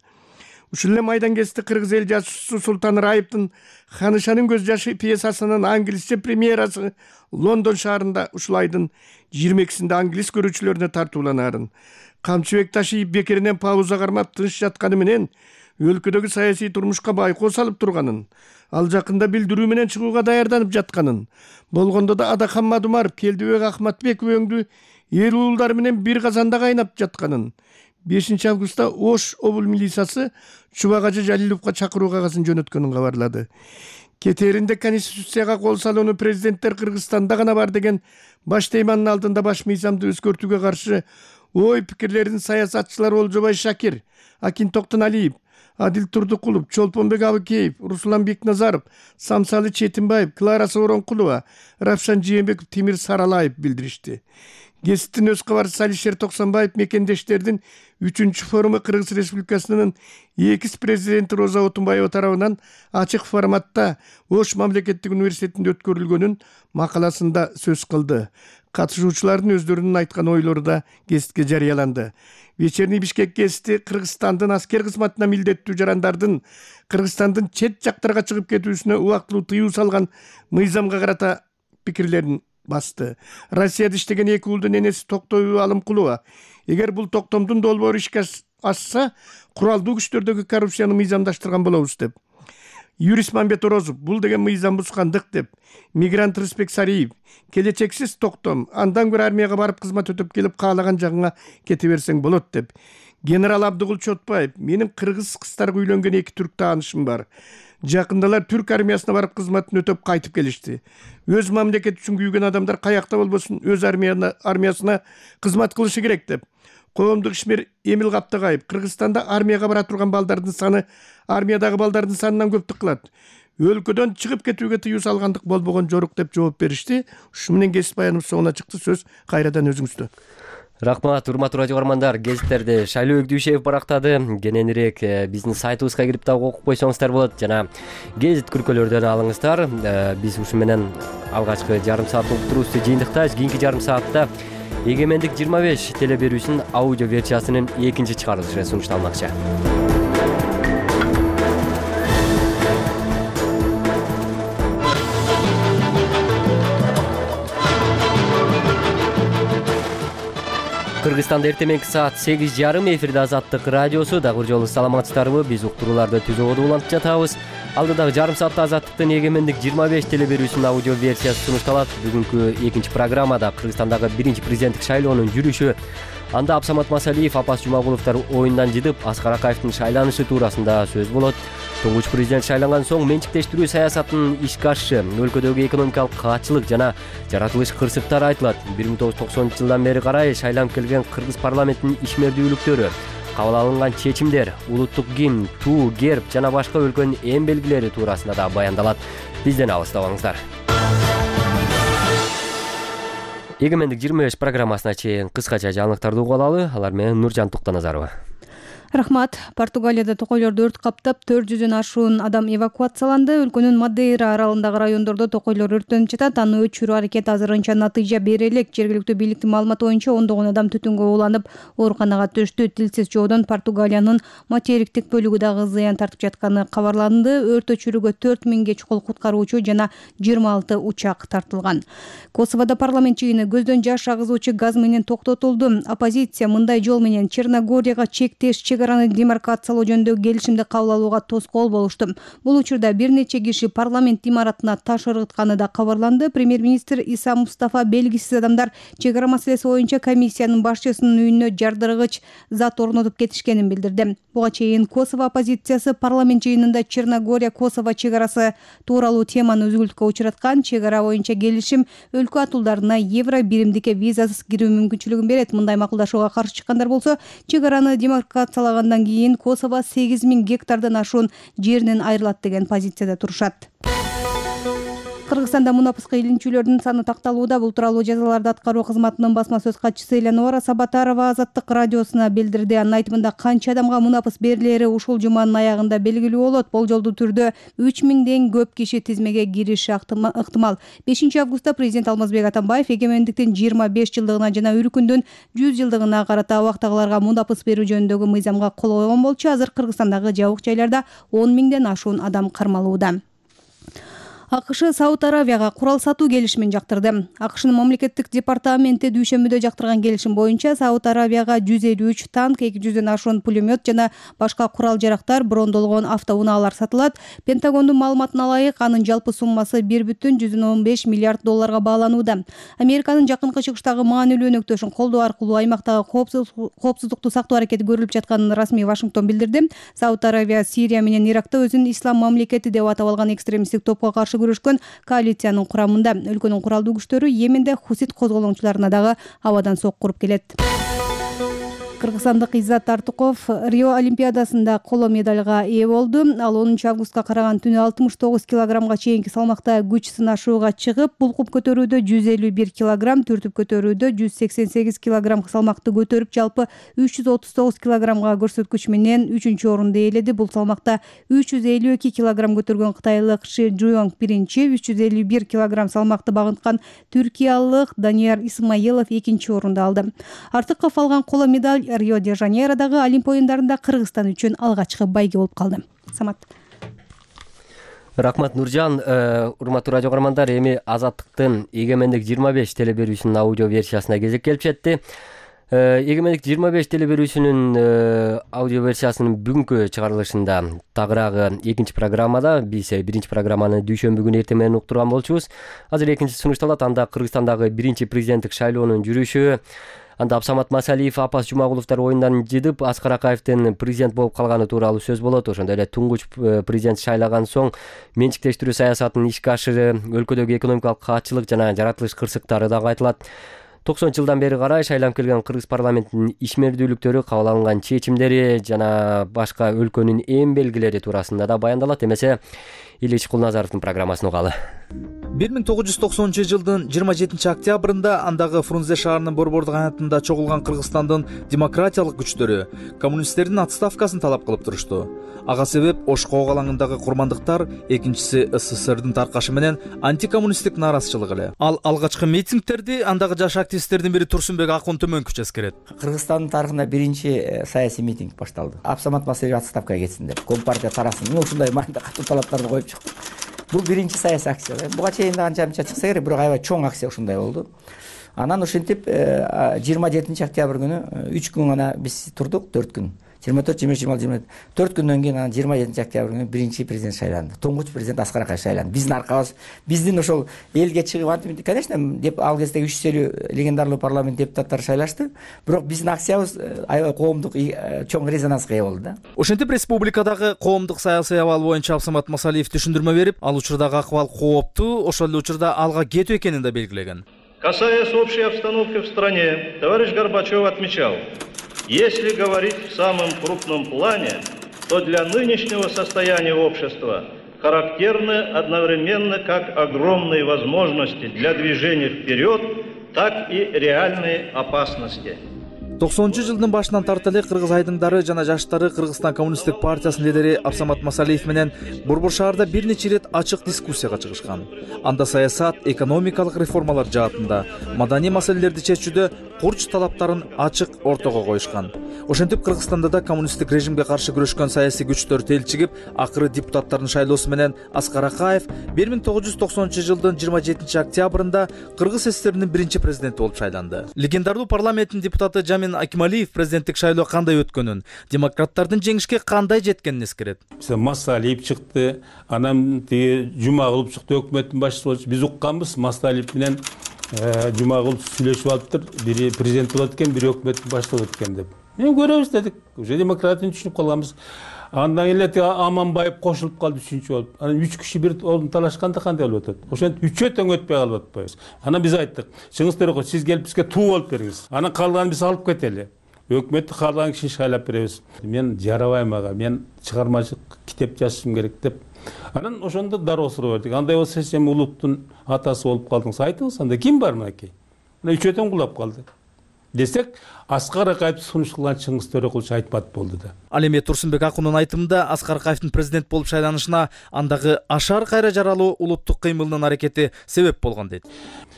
S17: Ушул эле майдан кести кыргыз эл жазуучусу Султан Раиптин Ханышанын көз жашы пьесасынын англисче премьерасы Лондон шаарында ушул айдын жыйырма экисинде англис көрүүчүлөрүнө тартууланаарын, Камчыбек Ташиев бекеринен пауза кармап тыныч жатканы менен өлкөдөгү саясий турмушка байкоо салып турганын, ал жакында билдирүү менен чыгууга даярданып жатканын, болгондо да Адахан Мадумаров Келдибек Ахматбеков өңдүү эл уулдар менен бир казанда кайнап жатканын, бешинчи августта Ош обул милициясы Чубагажы Жалиловго чакыруу кагасын жөнөткөнүн кабарлады. Кетээринде Конституцияга кол салууну президенттер Кыргызстанда гана бар деген баш тейманын алдында баш мыйзамды өзгөртүүгө каршы ой пикирлерин саясатчылар Олжобай Шакир, Акин Токтоналиев, Адил Турдукулов, Чолпонбек Абыкеев, Руслан Бекназаров, Самсалы Четинбаев, Клара Сооронкулова, Равшан Жээнбеков, Тимир Саралаев билдиришти. Гесттин өз кабарчысы Алишер Токсонбаев мекендештердин үчүнчү форуму Кыргыз Республикасынын экис президенти Роза Отунбаева тарабынан ачык форматта Ош мамлекеттик университетинде өткөрүлгөнүн макаласында сөз кылды. Катышуучулардын өздөрүнүн айткан ойлору да гестке жарыяланды. Вечерний Бишкек гести Кыргызстандын аскер кызматына милдеттүү жарандардын Кыргызстандын чет жактарга чыгып кетүүсүнө убактылуу тыюу салган мыйзамга карата пикирлерин басты. Россияда иштеген эки уулдун энеси Токтой Алымкулова, эгер бул токтомдун долбоору ишке ашса, куралдуу күчтөрдөгү коррупцияны мыйзамдаштырган болобуз деп. Юрист Мамбет Орозов, бул деген мыйзам бузгандык деп. Мигрант Рыспек Сариев, келечексиз токтом, андан көрө армияга барып кызмат өтөп келип каалаган жагыңа кете берсең болот деп. Генерал Абдыгул Чотбаев: менин кыргыз кыздарга үйлөнгөн эки түрк таанышым бар. Жакындалар түрк армиясына барып кызматын өтөп кайтып келишти. Өз мамлекети үчүн күйгөн адамдар каякта болбосун өз армиясына кызмат кылышы керек деп. Коомдук ишмер Эмил Каптагаев: Кыргызстанда армияга бара турган балдардын саны армиядагы балдардын санынан көптүк кылат. Өлкөдөн чыгып кетүүгө тыюу салгандык болбогон жорук деп жооп беришти. Ушу менен кесип баяным соңуна чыкты. Сөз кайрадан өзүңүздө.
S1: Рахмат, урматтуу радио көрөрмандар. Гезиттерди Шайлоо Өгдүшев барактады. Кененирээк биздин сайтыбызга кирип дагы окуп койсоңуздар болот жана гезит күркөлөрдөн алыңыздар. Биз ушу менен алгачкы жарым сааттык уктуруубузду жыйынтыктайбыз. Кийинки жарым саатта Эгемендик жыйырма беш телеберүүсүнүн аудио версиясынын экинчи чыгарылышы сунушталмакчы. Кыргызстанда эртең мененки саат сегиз жарым эфирде Азаттык радиосу. Дагы бир жолу саламатсыздарбы? Биз уктурууларды түзүүгө улантып жатабыз. Алдыдагы жарым саатта Азаттыктын Эгемендик жыйырма беш телеберүүсүнүн аудио версиясы сунушталат. Бүгүнкү экинчи программада Кыргызстандагы биринчи президенттик шайлоонун жүрүшү, анда Абсамат Масалиев, Апас Жумагуловдор оюндан жыдып, Аскар Акаевдин шайланышы туурасында сөз болот. Туңгуч президент шайланган соң менчиктештирүү саясатынын ишке ашышы, өлкөдөгү экономикалык каатчылык жана жаратылыш кырсыктары айтылат. бир миң тогуз жүз токсонунчу жылдан бери карай шайланып келген Кыргыз парламентинин ишмердүүлүктөрү, кабыл алынган чечимдер, улуттук гимн, туу, герб жана башка өлкөнүн эң белгилери туурасында да баяндалат. Бизден алыстабаңыздар. Эгемендик жыйырма беш программасына чейин кыскача жаңылыктарды угуп алалы. Алар менен Нуржан Туктаназарова.
S4: Рахмат. Португалияда токойлорду өрт каптап төрт жүздөн ашуун адам эвакуацияланды. Өлкөнүн Мадейра аралындагы райондордо токойлор өрттөнүп жатат. Аны өчүрүү аракети азырынча натыйжа бере элек. Жергиликтүү бийликтин маалыматы боюнча ондогон адам түтүнгө ууланып ооруканага түштү. Тилсиз жоодон Португалиянын материктик бөлүгү дагы зыян тартып жатканы кабарланды. Өрт өчүрүүгө төрт миңге чукул куткаруучу жана жыйырма алты учак тартылган. Косоводо парламент жыйыны көздөн жаш агызуучу газ менен токтотулду. Оппозиция мындай жол менен Черногорияга чектеш чегараны демаркациялоо жөнүндөгү келишимди кабыл алууга тоскоол болушту. Бул учурда бир нече киши парламент имаратына таш ыргытканы да кабарланды. Премьер-министр Иса Мустафа белгисиз адамдар чегара маселеси боюнча комиссиянын башчысынын үйүнө жардыргыч зат орнотуп кетишкенин билдирди. Буга чейин Косово оппозициясы парламент жыйынында Черногория Косово чегарасы тууралуу теманы үзгүлтүккө учураткан. Чегара боюнча келишим өлкө атуулдарына евро биримдикке визасыз кирүү мүмкүнчүлүгүн берет. Мындай макулдашууга каршы чыккандар болсо, чегараны демаркациялагандан кийин Косово сегиз миң гектардан ашуун жеринен айрылат деген позицияда турушат. Кыргызстанда мунапыскы илинчүүлөрдүн саны такталууда. Бул тууралуу жазаларды аткаруу кызматынын басма сөз катчысы Элеонора Сабатарова Азаттык радиосуна билдирди. Анын айтымында канча адамга мунапыс берилери ушул жуманын аягында белгилүү болот. Болжолдуу түрдө үч миңден көп киши тизмеге кириши ыктымал. бешинчи августта президент Алмазбек Атамбаев эгемендиктин жыйырма беш жылдыгына жана Үркүндүн жүз жылдыгына карата абактагыларга мунапыс берүү жөнүндөгү мыйзамга кол койгон болчу. Азыр Кыргызстандагы жабык жайларда он миңден ашуун адам кармалууда. АКШ Сауд Аравияга курал сатуу келишимин жактырды. АКШнын мамлекеттик департаменти дүйшөмбүдө жактырган келишим боюнча Сауд Аравияга жүз элүү үч танк, эки жүздөн ашуун пулемет жана башка курал жарактар, брондолгон автоунаалар сатылат. Пентагондун маалыматына ылайык, анын жалпы суммасы бир бүтүн жүздөн он беш миллиард долларга бааланууда. Американын жакынкы чыгыштагы маанилүү өнөктөшүн колдоо аркылуу аймактагы коопсуздукту сактоо аракети көрүлүп жатканын расмий Вашингтон билдирди. Сауд Аравия Сирия менен Иракта өзүн ислам мамлекети деп атап алган экстремисттик топко каршы күрөшкөн коалициянын курамында. Өлкөнүн куралдуу күчтөрү Йеменде хусит козголоңчуларына дагы абадан сокку уруп келет. Кыргызстандык Иззат Артыков Рио Олимпиадасында коло медалга ээ болду. Ал онунчу августка караган түнү алтымыш тогуз килограммга чейинки салмакта күч сынашууга чыгып, булкуп көтөрүүдө жүз элүү бир килограмм, түртүп көтөрүүдө жүз сексен сегиз килограмм салмакты көтөрүп, жалпы үч жүз отуз тогуз килограммга көрсөткүч менен үчүнчү орунду ээледи. Бул салмакта үч жүз элүү эки килограмм көтөргөн кытайлык Ши Жуонг биринчи, үч жүз элүү бир килограмм салмакты багынткан түркиялык Данияр Исмаилов экинчи орунду алды. Артыков алган коло медаль Рио-де-Жанейродагы Олимп оюндарында Кыргызстан үчүн алгачкы байге болуп калды. Самат.
S1: Рахмат Нуржан. Урматтуу радио көрөрмандар, эми Азаттыктын Эгемендик жыйырма беш телеберүүсүнүн аудио версиясына кезек келип жетти. Эгемендик жыйырма беш телеберүүсүнүн аудио версиясынын бүгүнкү чыгарылышында тагыраагы экинчи программада биз биринчи программаны дүйшөмбү күнү эртең менен уктурган болчубуз. Азыр экинчи сунушталат. Анда Кыргызстандагы биринчи президенттик шайлоонун жүрүшү, Анда Абсамат Масалиев, Апас Жумагуловдор оюндан жыдып, Аскар Акаевдин президент болуп калганы тууралуу сөз болот. Ошондой эле туңгуч президент шайлаган соң менчиктештирүү саясатынын ишке ашыры, өлкөдөгү экономикалык каатчылык жана жаратылыш кырсыктары дагы айтылат. токсонунчу жылдан бери карай шайланып келген кыргыз парламентинин ишмердүүлүктөрү, кабыл алынган чечимдери жана башка өлкөнүн эң белгилери туурасында да баяндалат. Эмесе Ильич Кулназаровдун программасын угалы.
S9: бир миң тогуз жүз токсонунчу жылдын жыйырма жетинчи октябрында андагы Фрунзе шаарынын борбордук аянтында чогулган Кыргызстандын демократиялык күчтөрү коммунисттердин отставкасын талап кылып турушту. Ага себеп Ош Коок алаңындагы курмандыктар, экинчиси СССРдин таркашы менен антикоммунисттик нааразычылык эле. Ал алгачкы митингтерди андагы жаш активисттердин бири Турсунбек Акун Төмөнкүч эскерет.
S18: Кыргызстандын тарыхында биринчи саясий митинг башталды. Абсамат Масалиев отставкага кетсин деп. Компартия тарасын. Мен ушундай маанда катуу талаптарды коюп чыктым. Бул биринчи саясий акция. Буга чейин да анча-мынча чыкса керек, бирок аябай чоң акция ушундай болду. Анан ошентип жыйырма жетинчи октябрь күнү үч күн гана биз турдук, төрт күн. жыйырма төрт, жыйырма үч, жыйырма алты, жыйырма төрт. төрт күндөн кийин анан жыйырма жетинчи октябрь күнү биринчи президент шайланды. Туңгуч президент Аскар Акаев шайланды. Биздин аркабыз, биздин ошол элге чыгып антип, конечно, деп ал кезде үч жүз элүү легендарлуу парламент депутаттары шайлашты, бирок биздин акциябыз аябай коомдук чоң резонанска ээ болду да.
S9: Ошентип республикадагы коомдук саясий абал боюнча Абсамат Масалиев түшүндүрмө берип, ал учурдагы акыбал кооптуу, ошол эле учурда алга кетүү экенин да белгилеген.
S19: Касаясь общей обстановки в стране, товарищ Горбачев отмечал: если говорить в самом крупном плане, то для нынешнего состояния общества характерны одновременно как огромные возможности для движения вперед, так и реальные опасности.
S9: токсонунчу жылдын башынан тарта эле кыргыз айдыңдары жана жаштары Кыргызстан коммунисттик партиясынын лидери Абсамат Масалиев менен Борбор шаарда бир нече ирет ачык дискуссияга чыгышкан. Анда саясат, экономикалык реформалар жаатында, маданий маселелерди чечүүдө курч талаптарын ачык ортого коюшкан. Ошентип Кыргызстанда да коммунисттик режимге каршы күрөшкөн саясий күчтөр телчигип, акыры депутаттардын шайлоосу менен Аскар Акаев бир миң тогуз жүз токсонунчу жылдын жыйырма жетинчи октябрында Кыргыз СССРинин биринчи президенти болуп шайланды. Легендарлуу парламенттин депутаты Жамин Акималиев президенттик шайлоо кандай өткөнүн, демократтардын жеңишке кандай жеткенин эскерет.
S20: Масалиев чыкты, анан тиги Жумагулов чыкты, өкмөттүн башчысы болчу. Биз укканбыз, Масалиев менен Жумагулов сүйлөшүп алыптыр. Бири президент болот экен, бири өкмөттүн башчысы болот экен деп. Мен көрөбүз дедик. Уже демократияны түшүнүп калганбыз. Андан эле Аманбаев кошулуп калды үчүнчү болуп. Анан үч киши бир орун талашканда кандай болуп атат? Ошентип үчөө тең өтпөй калып атпайбыз. Анан биз айттык, чыңгыз Төрөкөл, сиз келип бизге туу болуп бериңиз. Анан калганын биз алып кетели. Өкмөттү каалаган кишини шайлап беребиз. Мен жарабайм ага, мен чыгармачылык китеп жазышым керек деп. Анан ошондо дароо суроо бердик. Андай болсо сен улуттун атасы болуп калдыңыз, айтыңыз, анда ким бар мынакей? Мына үчөө тең кулап калды. Десек, Аскар Акаевди сунуш кылган Чыңгыз Төрөкулчу айтпат болду да.
S9: Ал эми Турсунбек Акундун айтымында Аскар Акаевдин президент болуп шайланышына андагы ашар кайра жаралуу улуттук кыймылынын аракети себеп болгон дейт.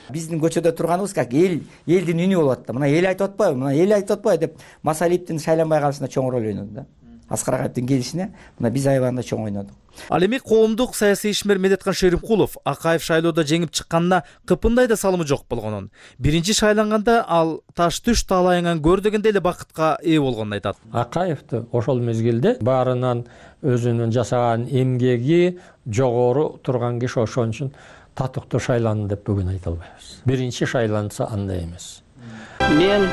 S18: Биздин көчөдө турганыбыз как эл, элдин үнү болот да. Мына эл айтып атпайбы, мына эл айтып атпайбы деп Масалиевдин шайланбай калышына чоң роль ойноду да. Аскар Акаевдин келишине мына биз аябагында чоң ойнодук.
S9: Ал эми коомдук саясий ишмер Медеткан Шеримкулов Акаев шайлоодо жеңип чыкканына кыпындай да салымы жок болгонун, биринчи шайланганда ал таш түш таалайыңан көр дегендей эле бакытка ээ болгонун айтат.
S21: Акаевди ошол мезгилде баарынан өзүнүн жасаган эмгеги жогору турган киши, ошон үчүн татыктуу шайланды деп бүгүн айта албайбыз. Биринчи шайланса андай эмес.
S22: Мен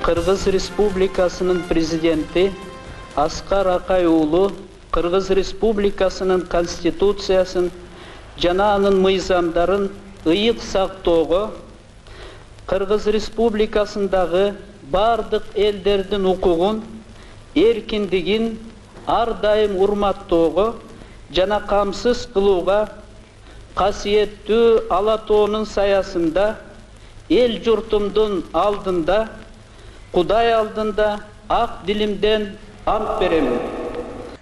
S22: Кыргыз Республикасынын президенти Аскар Акаев уулу Кыргыз Республикасынын конституциясын жана анын мыйзамдарын ыйык сактоого, Кыргыз Республикасындагы бардык элдердин укугун, эркиндигин ар дайым урматтоого жана камсыз кылууга, касиеттүү ала тоонун саясында эл журтумдун алдында, Кудай алдында ак дилимден ант беремин.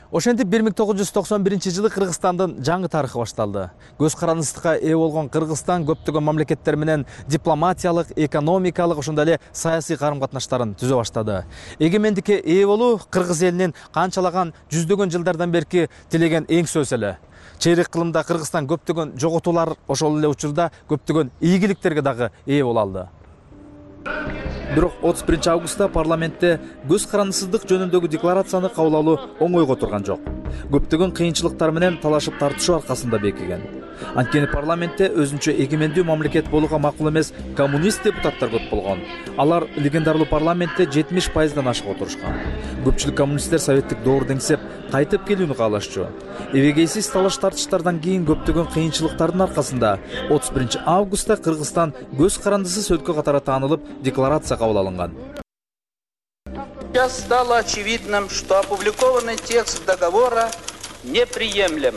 S9: Ошентип бир миң тогуз жүз токсон биринчи жылы Кыргызстандын жаңы тарыхы башталды. Көз карандысыкка ээ болгон Кыргызстан көптөгөн мамлекеттер менен дипломатиялык, экономикалык, ошондой эле саясий карым-катнаштарын түзө баштады. Эгемендикке ээ болуу кыргыз элинин канчалаган жүздөгөн жылдардан берки тилеген эң сөз эле. Чейрек кылымда Кыргызстан көптөгөн жоготуулар, ошол эле учурда көптөгөн ийгиликтерге дагы ээ боло алды. Бирок отуз биринчи августта парламентте көз карандысыздык жөнүндөгү декларацияны кабыл алуу оңойго турган жок. Көптөгөн кыйынчылыктар менен талашып тартышуу аркасында бекиген.
S2: Анткени парламентте өзүнчө эгемендүү мамлекет болууга макул эмес коммунист депутаттар көп болгон. Алар легендарлуу парламентте жетимиш пайыздан ашык отурушкан. Көпчүлүк коммунисттер советтик доорду деңсеп кайтып келүүнү каалашчу. Эбегейсиз талаш тартыштардан кийин көптөгөн кыйынчылыктардын аркасында отуз биринчи августта Кыргызстан көз карандысыз өлкө катары таанылып, декларация кабыл алынган.
S22: Сейчас стало очевидным, что опубликованный текст договора неприемлем.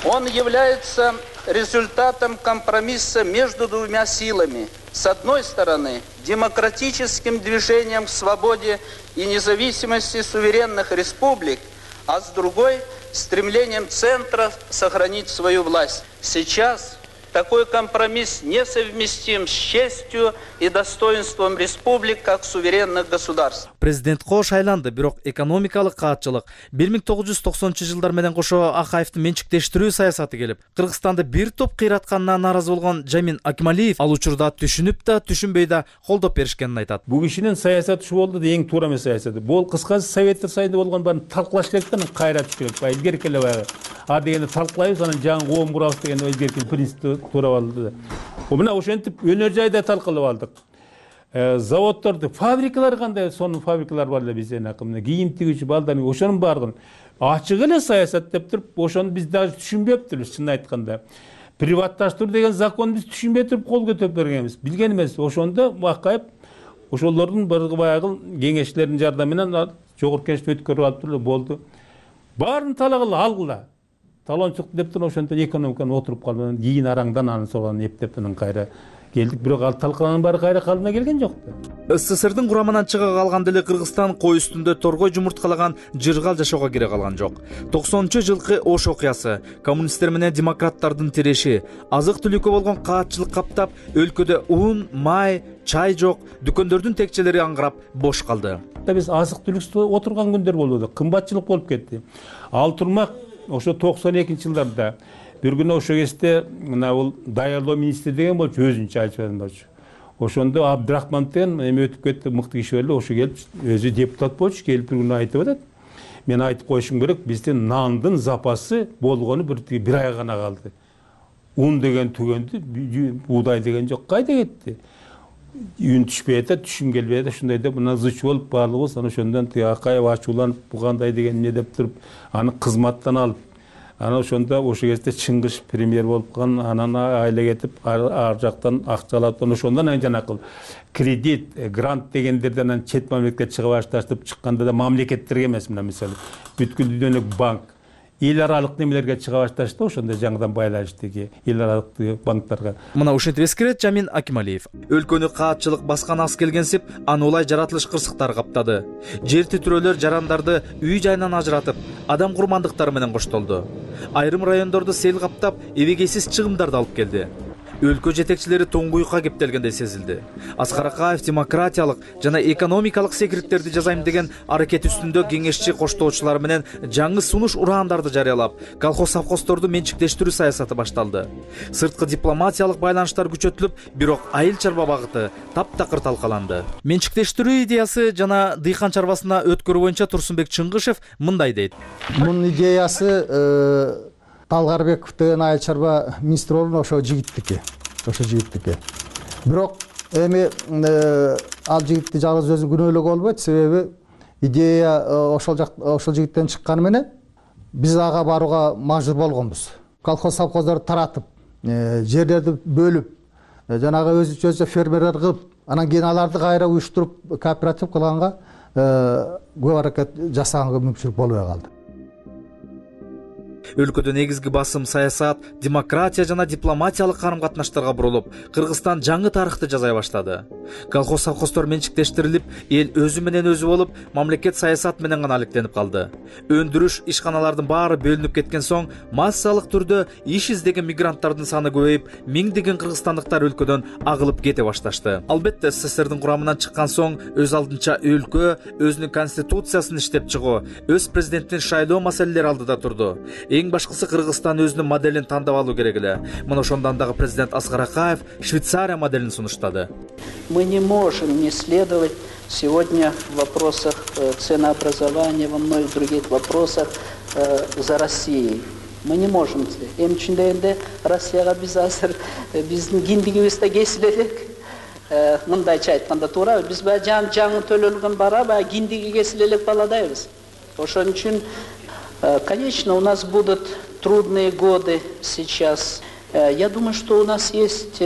S22: Он является результатом компромисса между двумя силами. С одной стороны, демократическим движением к свободе и независимости суверенных республик, а с другой – стремлением центра сохранить свою власть. Сейчас такой компромисс несовместим с честью и достоинством республик как суверенных государств.
S2: Президент Ко шайланды, бирок экономикалык каатчылык бир миң тогуз жүз токсонунчу жылдар менен кошо Акаевдин менчиктештирүү саясаты келип, Кыргызстанды бир топ кыйратканына нааразы болгон Жамин Акималиев ал учурда түшүнүп да, түшүнбөй да колдоп беришкенин айтат.
S20: Бул кишинин саясаты ушу болду да, эң туура эмес саясаты. Бул кыскасы Советтер Союзунда болгон баарын талкуулаш керек да, кайра түшүш керек. Баягы илгерки эле баягы. А дегенде талкуулайбыз, анан жаңы коом курабыз деген илгерки принципти туура алды. Мына ошентип өнөр жайда талкуулап алдык. Заводдорду, фабрикалар кандай, сонун фабрикалар бар эле бизде, мына кийим тигүүчү балдардын ошонун баардыгын ачык эле саясат деп туруп, ошону биз дагы түшүнбөптүрбүз, чынын айтканда. Приватташтыруу деген закон биз түшүнбөй туруп кол көтөрүп бергенбиз, билген эмес. Ошондо Акаев ошолордун баягы кеңешчилердин жардамы менен жогорку кеңешти өткөрүп алып туруп болду. Баарын талагыла алгыла. Талончулук деп туруп ошондо экономиканы отуруп калды. Кийин араңдан анын соған эптеп анан кайра келдик, бирок ал талкаланын баары кайра калдына келген жок да.
S2: СССРдин курамынан чыга калганда эле Кыргызстан кой үстүндө торгой жумурткалаган жыргал жашоого кире калган жок. токсонунчу жылкы Ош окуясы, коммунисттер менен демократтардын тиреши, азык-түлүккө болгон каатчылык каптап, өлкөдө ун, май, чай жок, дүкөндөрдүн текчелери аңгырап бош калды.
S20: Биз азык-түлүксүз отурган күндөр болду, кымбатчылык болуп кетти. Ал турмак ошо токсон экинчи жылдарда бир күнү ошо кезде мына бул даярдоо министри деген болчу, өзүнчө айтып болчу. Ошондо Абдрахман деген эме өтүп кетти, мыкты киши эле, ошо келип өзү депутат болчу, келип бир күнү айтып атат. Мен айтып коюшум керек, бизде нандын запасы болгону бир бир ай гана калды. Un деген түгөндү, буудай деген жок, кайда кетти? Үн түшпөй атат, түшүм келбей атат, ушундай деп мына зыч болуп баарлыгыбыз анан ошондон Акаев ачууланып, бу кандай деген не деп туруп, аны кызматтан алып, анан ошондо ошо кезде Чыңгыш премьер болуп калган, анан айла кетип, ар жактан акчалап, ошондон анан жанакыл кредит, грант дегендерден анан чет мамлекетке чыга башташып чыкканда да мамлекеттерге эмес, мына мисалы бүткүл дүйнөлүк банк, эл аралык немелерге чыга башташты, ошондо жаңыдан байланыштыгы эл аралык банктарга.
S2: Мына ушинтип эскерет Жамин Акималиев. Өлкөнү каатчылык баскан аз келгенсип, аны улай жаратылыш кырсыктар каптады. Жер титирөөлөр жарандарды үй жайынан ажыратып, адам курмандыктары менен коштолду. Айрым райондорду сел каптап, эбегейсиз чыгымдарды алып келди. Өлкө жетекчилери тоңгуюкка кептелгендей сезилди. Аскар Акаев демократиялык жана экономикалык секириттерди жазайм деген аракет үстүндө кеңешчи коштоочулары менен жаңы сунуш ураандарды жарыялап, колхоз совхоздорду менчиктештирүү саясаты башталды. Сырткы дипломатиялык байланыштар күчөтүлүп, бирок айыл чарба багыты таптакыр талкаланды. Менчиктештирүү идеясы жана дыйкан чарбасына өткөрүү боюнча Турсунбек Чыңгышев мындай дейт.
S6: Мунун идеясы Талгарбеков деген айыл чарба министри болгон ошо жигиттики, ошо жигиттики. Бирок эми ал жигитти жалгыз өзү күнөөлөгө болбойт, себеби идея ошол жак ошол жигиттен чыкканы менен биз ага барууга мажбур болгонбуз. Колхоз совхоздорду таратып, жерлерди бөлүп, жанагы өзүнчө фермерлер кылып, анан кийин аларды кайра уюштуруп кооператив кылганга көп аракет жасаганга мүмкүнчүлүк болбой калды.
S2: Өлкөдө негизги басым саясат, демократия жана дипломатиялык карым-катнаштарга бурулуп, Кыргызстан жаңы тарыхты жазай баштады. Колхоз совхоздор менчиктештирилип, эл өзү менен өзү болуп, мамлекет саясат менен гана алектенип калды. Өндүрүш ишканалардын баары бөлүнүп кеткен соң, массалык түрдө иш издеген мигранттардын саны көбөйүп, миңдеген кыргызстандыктар өлкөдөн агылып кете башташты. Албетте СССРдин курамынан чыккан соң, өз алдынча өлкө өзүнүн конституциясын иштеп чыгуу, өз президенттин шайлоо маселелери алдыда турду. Эң башкысы Кыргызстан өзүнүн моделин тандап алуу керек эле. Мына ошондон дагы президент Аскар Акаев Швейцария моделин сунуштады.
S22: Мы не можем не следовать сегодня в вопросах ценообразования, во многих других вопросах за Россией. Мы не можем. Эм үчүн дегенде Россияга биз азыр биздин киндигибизде кесип элек. Мындайча айтканда туура, биз баягы жан жаңы төлөлгөн бара баягы киндиги кесип элек баладайбыз. Ошон үчүн, конечно, у нас будут трудные годы сейчас. Я думаю, что у нас есть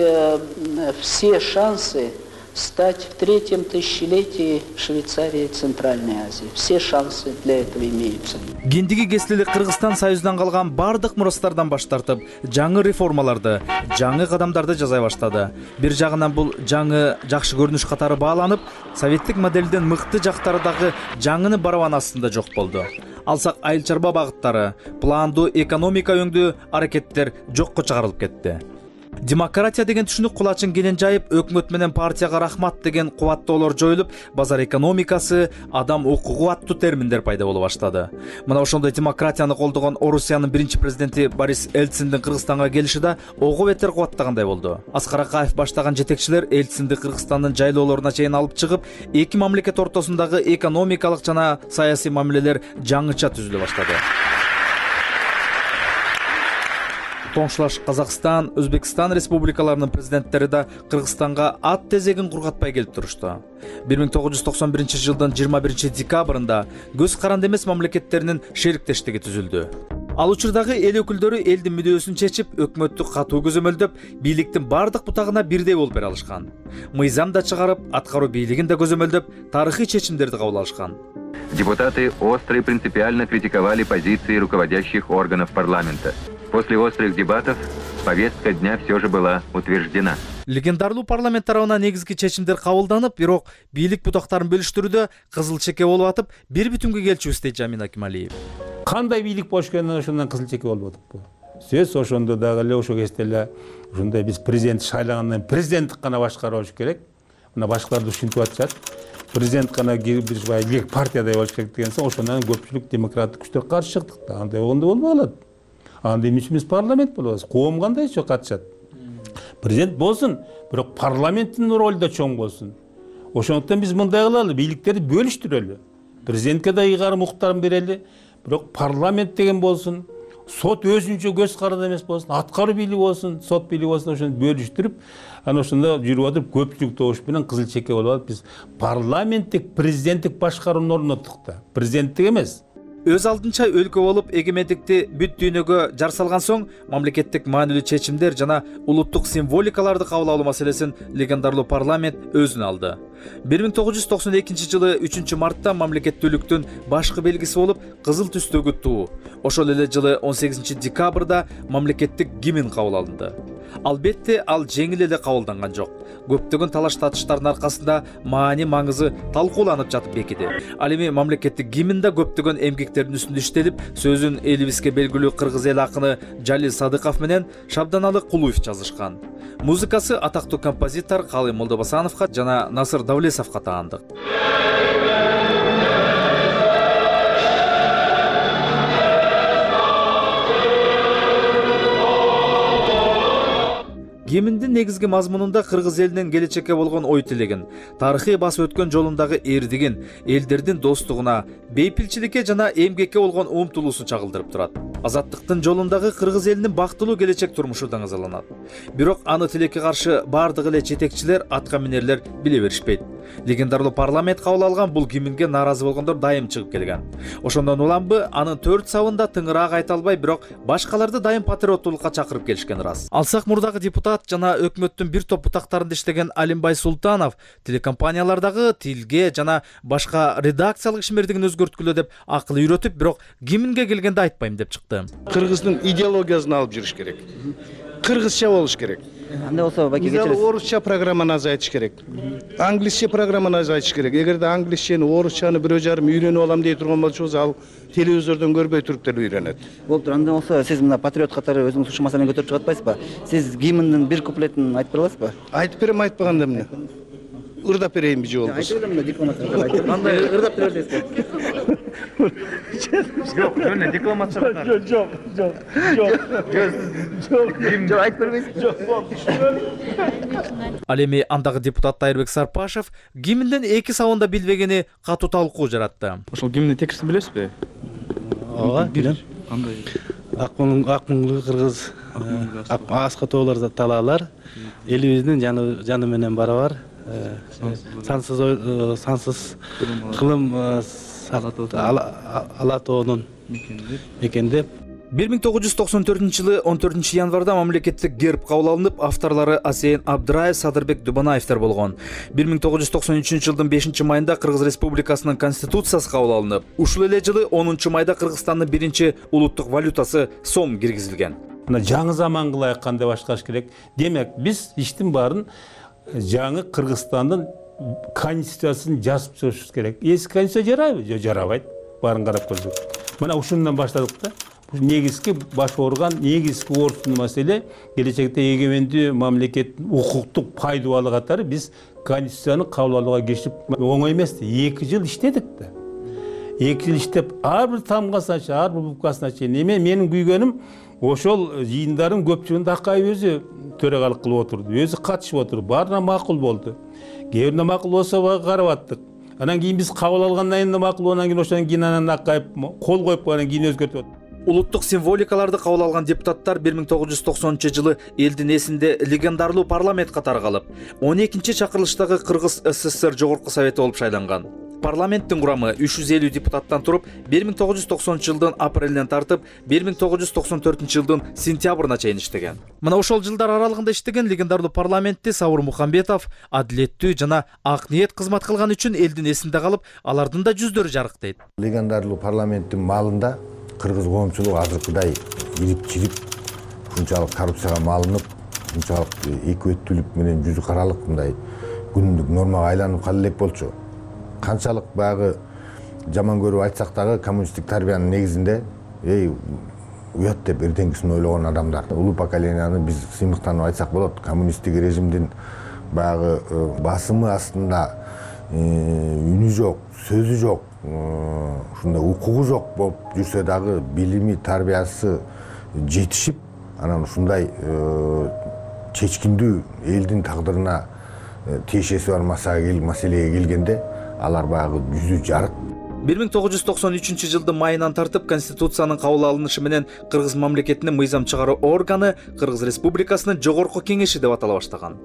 S22: все шансы стать в третьем тысячелетии Швейцарии и Центральной Азии. Все шансы для этого имеются.
S2: Киндиги кесилелик Кыргызстан Союздан калган бардык мурастардан баш тартып, жаңы реформаларды, жаңы кадамдарды жасай баштады. Бир жагынан бул жаңы жакшы көрүнүш катары бааланып, советтик моделден мыкты жактары дагы жаңыны барабан астында жок болду. Алсак айыл чарба багыттары, пландуу экономика өңдүү аракеттер жокко чыгарылып кетти. Демократия деген түшүнүк кулачын кенен жайып, өкмөт менен партияга рахмат деген кубаттоолор жоюлуп, базар экономикасы, адам укугу аттуу терминдер пайда боло баштады. Мына ошондой демократияны колдогон Орусиянын биринчи президенти Борис Эльциндин Кыргызстанга келиши да ого бетер кубаттагандай болду. Аскар Акаев баштаган жетекчилер Эльцинди Кыргызстандын жайлоолоруна чейин алып чыгып, эки мамлекет ортосундагы экономикалык жана саясий мамилелер жаңыча түзүлө баштады. Тоңшулаш Казакстан, Өзбекстан республикаларынын президенттери да Кыргызстанга ат тезегин кургатпай келип турушту. бир миң тогуз жүз токсон биринчи жылдын жыйырма биринчи декабрында көз каранды эмес мамлекеттеринин шериктештиги түзүлдү. Ал учурдагы эл өкүлдөрү элдин мүдөөсүн чечип, өкмөттү катуу көзөмөлдөп, бийликтин бардык бутагына бирдей болуп бере алышкан. Мыйзам да чыгарып, аткаруу бийлигин да көзөмөлдөп, тарыхый чечимдерди кабыл алышкан.
S7: Депутаты остро и принципиально критиковали позиции руководящих органов парламента. После острых дебатов повестка дня все же была утверждена.
S2: Легендарлуу парламент тарабынан негизги чечимдер кабылданып, бирок бийлик бутактарын бөлүштүрүүдө кызыл чеке болуп атып, бир бүтүнгө келчүбүз дейт Жамин Акималиев.
S20: Кандай бийлик болуш керектигин ошондон кызыл чеке болуп атып. Сөз ошондо дагы эле ошо кезде эле ушундай биз президент шайлагандан президенттик гана башкаруу болуш керек. Мына башкалар ушинтип атышат. Президент гана бир бай партиядай болуш керек деген соң ошондон көпчүлүк демократик күчтөр каршы чыктык. Андай болгондо болбой калат. Анда эмне үчүн биз парламент болобуз? Коом кандай ишке катышат? Президент болсун, бирок парламенттин ролу да чоң болсун. Ошондуктан биз мындай кылалы, бийликтерди бөлүштүрөлү. Президентке да ыйгарым укуктарын берели, бирок парламент деген болсун, сот өзүнчө көз каранды эмес болсун, аткаруу бийлиги болсун, сот бийлиги болсун, ошону бөлүштүрүп, анан ошондо жүрүп атып көпчүлүк добуш менен кызыл чеке болуп атып, биз парламенттик, президенттик башкарууну орноттук да. Президенттик эмес.
S2: Өз алдынча өлкө болуп эгемендикти бүт дүйнөгө жар салган соң мамлекеттик маанилүү чечимдер жана улуттук символикаларды кабыл алуу маселесин легендарлуу парламент өзүнө алды. бир миң тогуз жүз токсон экинчи жылы үчүнчү мартта мамлекеттүүлүктүн башкы белгиси болуп кызыл түстөгү туу. Ошол эле жылы он сегизинчи декабрда мамлекеттик гимн кабыл алынды. Албетте ал жеңил эле кабылданган жок. Көптөгөн талаш татыштардын аркасында маани маңызы талкууланып жатып бекиди. Ал эми мамлекеттик гимнда көптөгөн эмгектердин үстүндө иштелип, сөзүн элибизге белгилүү кыргыз эл акыны Жалил Садыков менен Шабданалы Кулуев жазышкан. Музыкасы атактуу композитор Калый Молдобасановго жана Насыр Давлесовго таандык. Гимндин негизги мазмунунда кыргыз элинин келечекке болгон ой тилегин, тарыхый басып өткөн жолундагы эрдигин, элдердин достугуна, бейпилчиликке жана эмгекке болгон умтулуусун чагылдырып турат. Азаттыктын жолундагы кыргыз элинин бактылуу келечек турмушу даңазаланат. Бирок аны тилекке каршы бардык эле жетекчилер, атка минерлер биле беришпейт. Легендарлуу парламент кабыл алган бул гимнге нааразы болгондор дайым чыгып келген. Ошондон уламбы анын төрт сабында тыңыраак айта албай, бирок башкаларды дайым патриоттуулукка чакырып келишкен ырас. Алсак мурдагы депутат жана өкмөттүн бир топ бутактарында иштеген Алимбай Султанов телекомпаниялардагы тилге жана башка редакциялык ишмердигин өзгөрткүлө деп акыл үйрөтүп, бирок гимнге келгенде айтпайм деп чыкты.
S8: Кыргыздын идеологиясын алып жүрүш керек. Кыргызча болуш керек.
S23: Андай болсо, баки кечиресиз.
S8: Орусча программаны азайтыш керек. Англисче программаны азайтыш керек. Эгерде англисчени, орусчаны бирөө жарым үйрөнүп алам дей турган болсоңуз, ал телевизордон көрбөй туруп деле үйрөнөт.
S23: Болуптур. Андай болсо, сиз мына патриот катары өзүңүз ушул маселени көтөрүп чыгып атпайсызбы? Сиз гимндин бир куплетин айтып бере аласызбы?
S8: Айтып берем, айтпаганда эмне? Ырдап берейинби же болбосо?
S23: Айтып берем да дипломаттарга айтып. Кандай ырдап бере бересизби?
S8: Жок, жөн декламация катары. Жок, жок, жок. Жок.
S23: Жок, айтып бербейсизби?
S8: Жок,
S2: Ал эми андагы депутат Тайырбек Сарпашев гимндин эки сабында билбегени катуу талкуу жаратты.
S24: Ошол гимндин текстин билесизби?
S8: Ооба, билем.
S24: Кандай?
S3: Акмыңлы кыргыз аска тоолор талаалар элибиздин жаны менен барабар сансыз сансыз кылым ала тоонун мекендеп.
S2: бир миң тогуз жүз токсон төртүнчү жылы он төртүнчү январда мамлекеттик герб кабыл алынып, авторлору Асейин Абдыраев, Садырбек Дубанаевдер болгон. бир миң тогуз жүз токсон үчүнчү жылдын бешинчи майында Кыргыз Республикасынын конституциясы кабыл алынып, ушул эле жылы онунчу майда Кыргызстандын биринчи улуттук валютасы сом киргизилген.
S20: Мына жаңы заманга ылайык кандай башташ керек. Демек, биз иштин баарын жаңы Кыргызстандын конституциясын жазып чыгышыбыз керек. Эски конституция жарайбы? Жок, жарабайт. Баарын карап көрдүк. Мына ушундан баштадык да. Негизги баш орган, негизги ордун маселе келечекте эгемендүү мамлекеттин укуктук пайдубалы катары биз конституцияны кабыл алууга киришип оңой эмес. эки жыл иштедик да. эки жыл иштеп, ар бир тамгасына чейин, ар бир буквасына чейин. Эме менин күйгөнүм ошол жыйындардын көпчүлүгүндө Акаев өзү төрагалык кылып отурду, өзү катышып отурду, баарына макул болду. Кээ биринде макул болсо карап аттык. Анан кийин биз кабыл алгандан кийин макул, анан кийин ошондон кийин анан Акаев кол коюп анан кийин өзгөртүп.
S2: Улуттук символикаларды кабыл алган депутаттар бир миң тогуз жүз токсонунчу жылы элдин эсинде легендарлуу парламент катары калып, он экинчи чакырылыштагы Кыргыз СССР Жогорку Совети болуп шайланган. Парламенттин курамы үч жүз элүү депутаттан туруп, бир миң тогуз жүз токсонунчу жылдын апрелинен тартып, бир миң тогуз жүз токсон төртүнчү жылдын сентябрына чейин иштеген. Мына ошол жылдар аралыгында иштеген легендарлуу парламентти Саур Мухамбетов адилеттүү жана ак ниет кызмат кылган үчүн элдин эсинде калып, алардын да жүздөрү жарыктайт.
S5: Легендарлуу парламенттин маалында кыргыз коомчулугу азыркыдай ирип-чирип, ушунчалык коррупцияга малынып, ушунчалык экөөттүүлүк менен жүзү каралык мындай күнүмдүк нормага айланып кала элек болчу. Канчалык баягы жаман көрүп айтсак дагы коммунисттик тарбиянын негизинде эй уят деп эртеңкисин ойлогон адамдар. Улуу поколенияны биз сыймыктанып айтсак болот. Коммунисттик режимдин баягы басымы астында үнү жок, сөзү жок, ушундай укугу жок болуп жүрсө дагы билими, тарбиясы жетишип, анан ушундай чечкиндүү элдин тагдырына тиешеси бар маселеге келгенде алар баягы жүзү жарык.
S2: бир миң тогуз жүз токсон үчүнчү жылдын майынан тартып конституциянын кабыл алынышы менен Кыргыз мамлекетинин мыйзам чыгаруу органы Кыргыз Республикасынын Жогорку Кеңеши деп атала баштаган.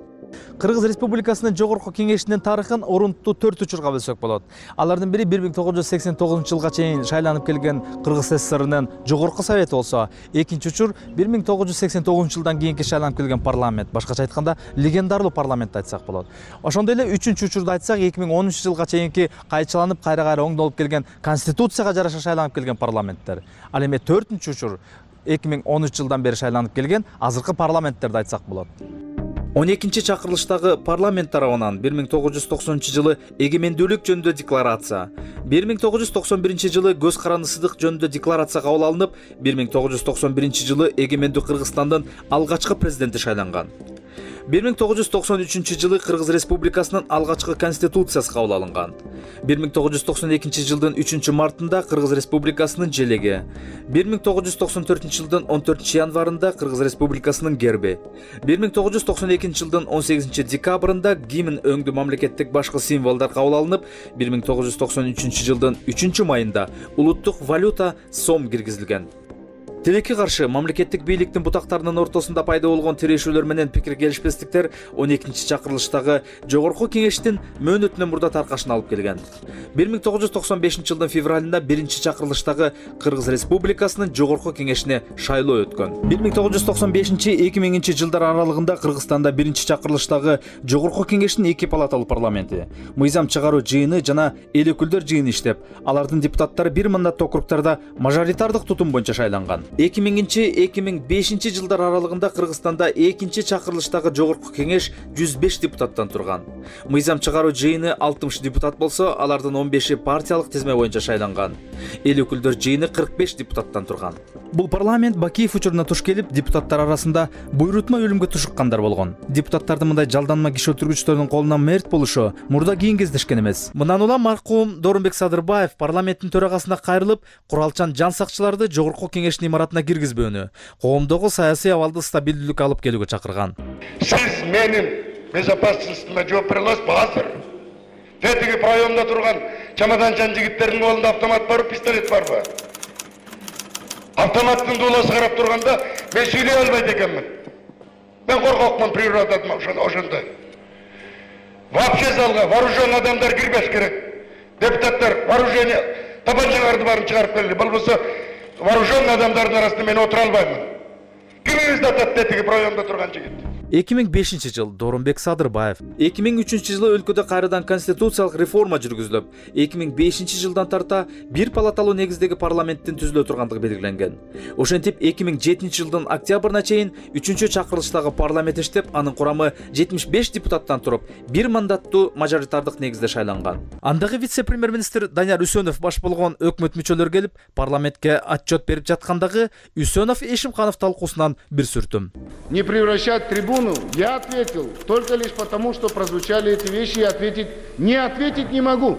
S2: Кыргыз Республикасынын Жогорку Кеңешинин тарыхын орунтуу төрт учурга бөлсөк болот. Алардын бири бир миң тогуз жүз сексен тогузунчу жылга чейин шайланып келген Кыргыз СССРнын Жогорку Совети болсо, экинчи учур бир миң тогуз жүз сексен тогузунчу жылдан кийинки шайланып келген парламент, башкача айтканда легендарлуу парламент айтсак болот. Ошондой эле үчүнчү учурду айтсак, эки миң онунчу жылга чейинки кайчыланып кайра-кайра оңдолуп келген конституцияга жараша шайланып келген парламенттер. Ал эми төртүнчү учур эки миң он үч жылдан бери шайланып келген азыркы парламенттерди айтсак болот. он экинчи чакырылыштагы парламент тарабынан бир миң тогуз жүз токсонунчу жылы эгемендүүлүк жөнүндө декларация, бир миң тогуз жүз токсон биринчи жылы көз карандысыздык жөнүндө декларация кабыл алынып, бир миң тогуз жүз токсон биринчи жылы эгемендүү Кыргызстандын алгачкы президенти шайланган. бир миң тогуз жүз токсон үчүнчү жылы Кыргыз Республикасынын алгачкы конституциясы кабыл алынган. бир миң тогуз жүз токсон экинчи жылдын үчүнчү мартында Кыргыз Республикасынын желеги, бир миң тогуз жүз токсон төртүнчү жылдын он төртүнчү январында Кыргыз Республикасынын герби, бир миң тогуз жүз токсон экинчи жылдын он сегизинчи декабрында гимн өңдүү мамлекеттик башкы символдор кабыл алынып, бир миң тогуз жүз токсон үчүнчү жылдын үчүнчү майында улуттук валюта сом киргизилген. Тилекке каршы мамлекеттик бийликтин бутактарынын ортосунда пайда болгон тирешүүлөр менен пикир келишпестиктер он экинчи чакырылыштагы Жогорку Кеңештин мөөнөтүнөн мурда таркашына алып келген. бир миң тогуз жүз токсон бешинчи жылдын февралында биринчи чакырылыштагы Кыргыз Республикасынын Жогорку Кеңешине шайлоо өткөн. бир миң тогуз жүз токсон бешинчи — эки миңинчи жылдар аралыгында Кыргызстанда биринчи чакырылыштагы Жогорку Кеңештин эки палаталуу парламенти, мыйзам чыгаруу жыйыны жана эл өкүлдөр жыйыны иштеп, алардын депутаттары бир мандаттуу округдарда мажоритардык тутум боюнча шайланган. эки миңинчи — эки миң бешинчи жылдар аралыгында Кыргызстанда экинчи чакырылыштагы Жогорку Кеңеш жүз беш депутаттан турган. Мыйзам чыгаруу жыйыны алтымыш депутат болсо, алардын он беши партиялык тизме боюнча шайланган. Эл өкүлдөр жыйыны кырк беш депутаттан турган. Бул парламент Бакиев учуруна туш келип, депутаттар арасында буйрутма өлүмгө тушуккандар болгон. Депутаттардын мындай жалданма киши өлтүргүчтөрдүн колунан мерт болушу мурда кийин кездешкен эмес. Мындан улам маркум Дорунбек Садырбаев парламенттин төрагасына кайрылып, куралчан жан сакчыларды Жогорку Кеңештин имаратына киргизбөөнү, коомдогу саясий абалды стабилдүүлүккө алып келүүгө чакырган.
S10: Сиз менин безопасностьтума жооп бере аласызбы азыр? Тетиги районда турган чамаданчан жигиттердин колунда автомат барбы, пистолет барбы? Автоматтын дуласы карап турганда мен сүйлөй албайт экенмин. Мен коркокмун природадан ошондой. Вообще залга вооруженный адамдар кирбеш керек. Депутаттар вооружение табанчаларды барын чыгарып келди. Болбосо вооруженный адамдардын арасында мен отура албаймын. Кимиңизди атат тетиги районда турган жигит.
S2: эки миң бешинчи жыл Дооронбек Садырбаев. эки миң үчүнчү жылы өлкөдө кайрадан конституциялык реформа жүргүзүлүп, эки миң бешинчи жылдан тарта бир палаталуу негиздеги парламенттин түзүлө тургандыгы белгиленген. Ошентип эки миң жетинчи жылдын октябрына чейин үчүнчү чакырылыштагы парламент иштеп, анын курамы жетимиш беш депутаттан туруп, бир мандаттуу мажоритардык негизде шайланган. Андагы вице-премьер-министр Данияр Үсөнов баш болгон өкмөт мүчөлөрү келип, парламентке отчет берип жаткандагы Үсөнов Эшимханов талкуусунан бир сүртүм.
S10: Не превращать трибуну, я ответил только лишь потому, что прозвучали эти вещи, и ответить не ответить не могу.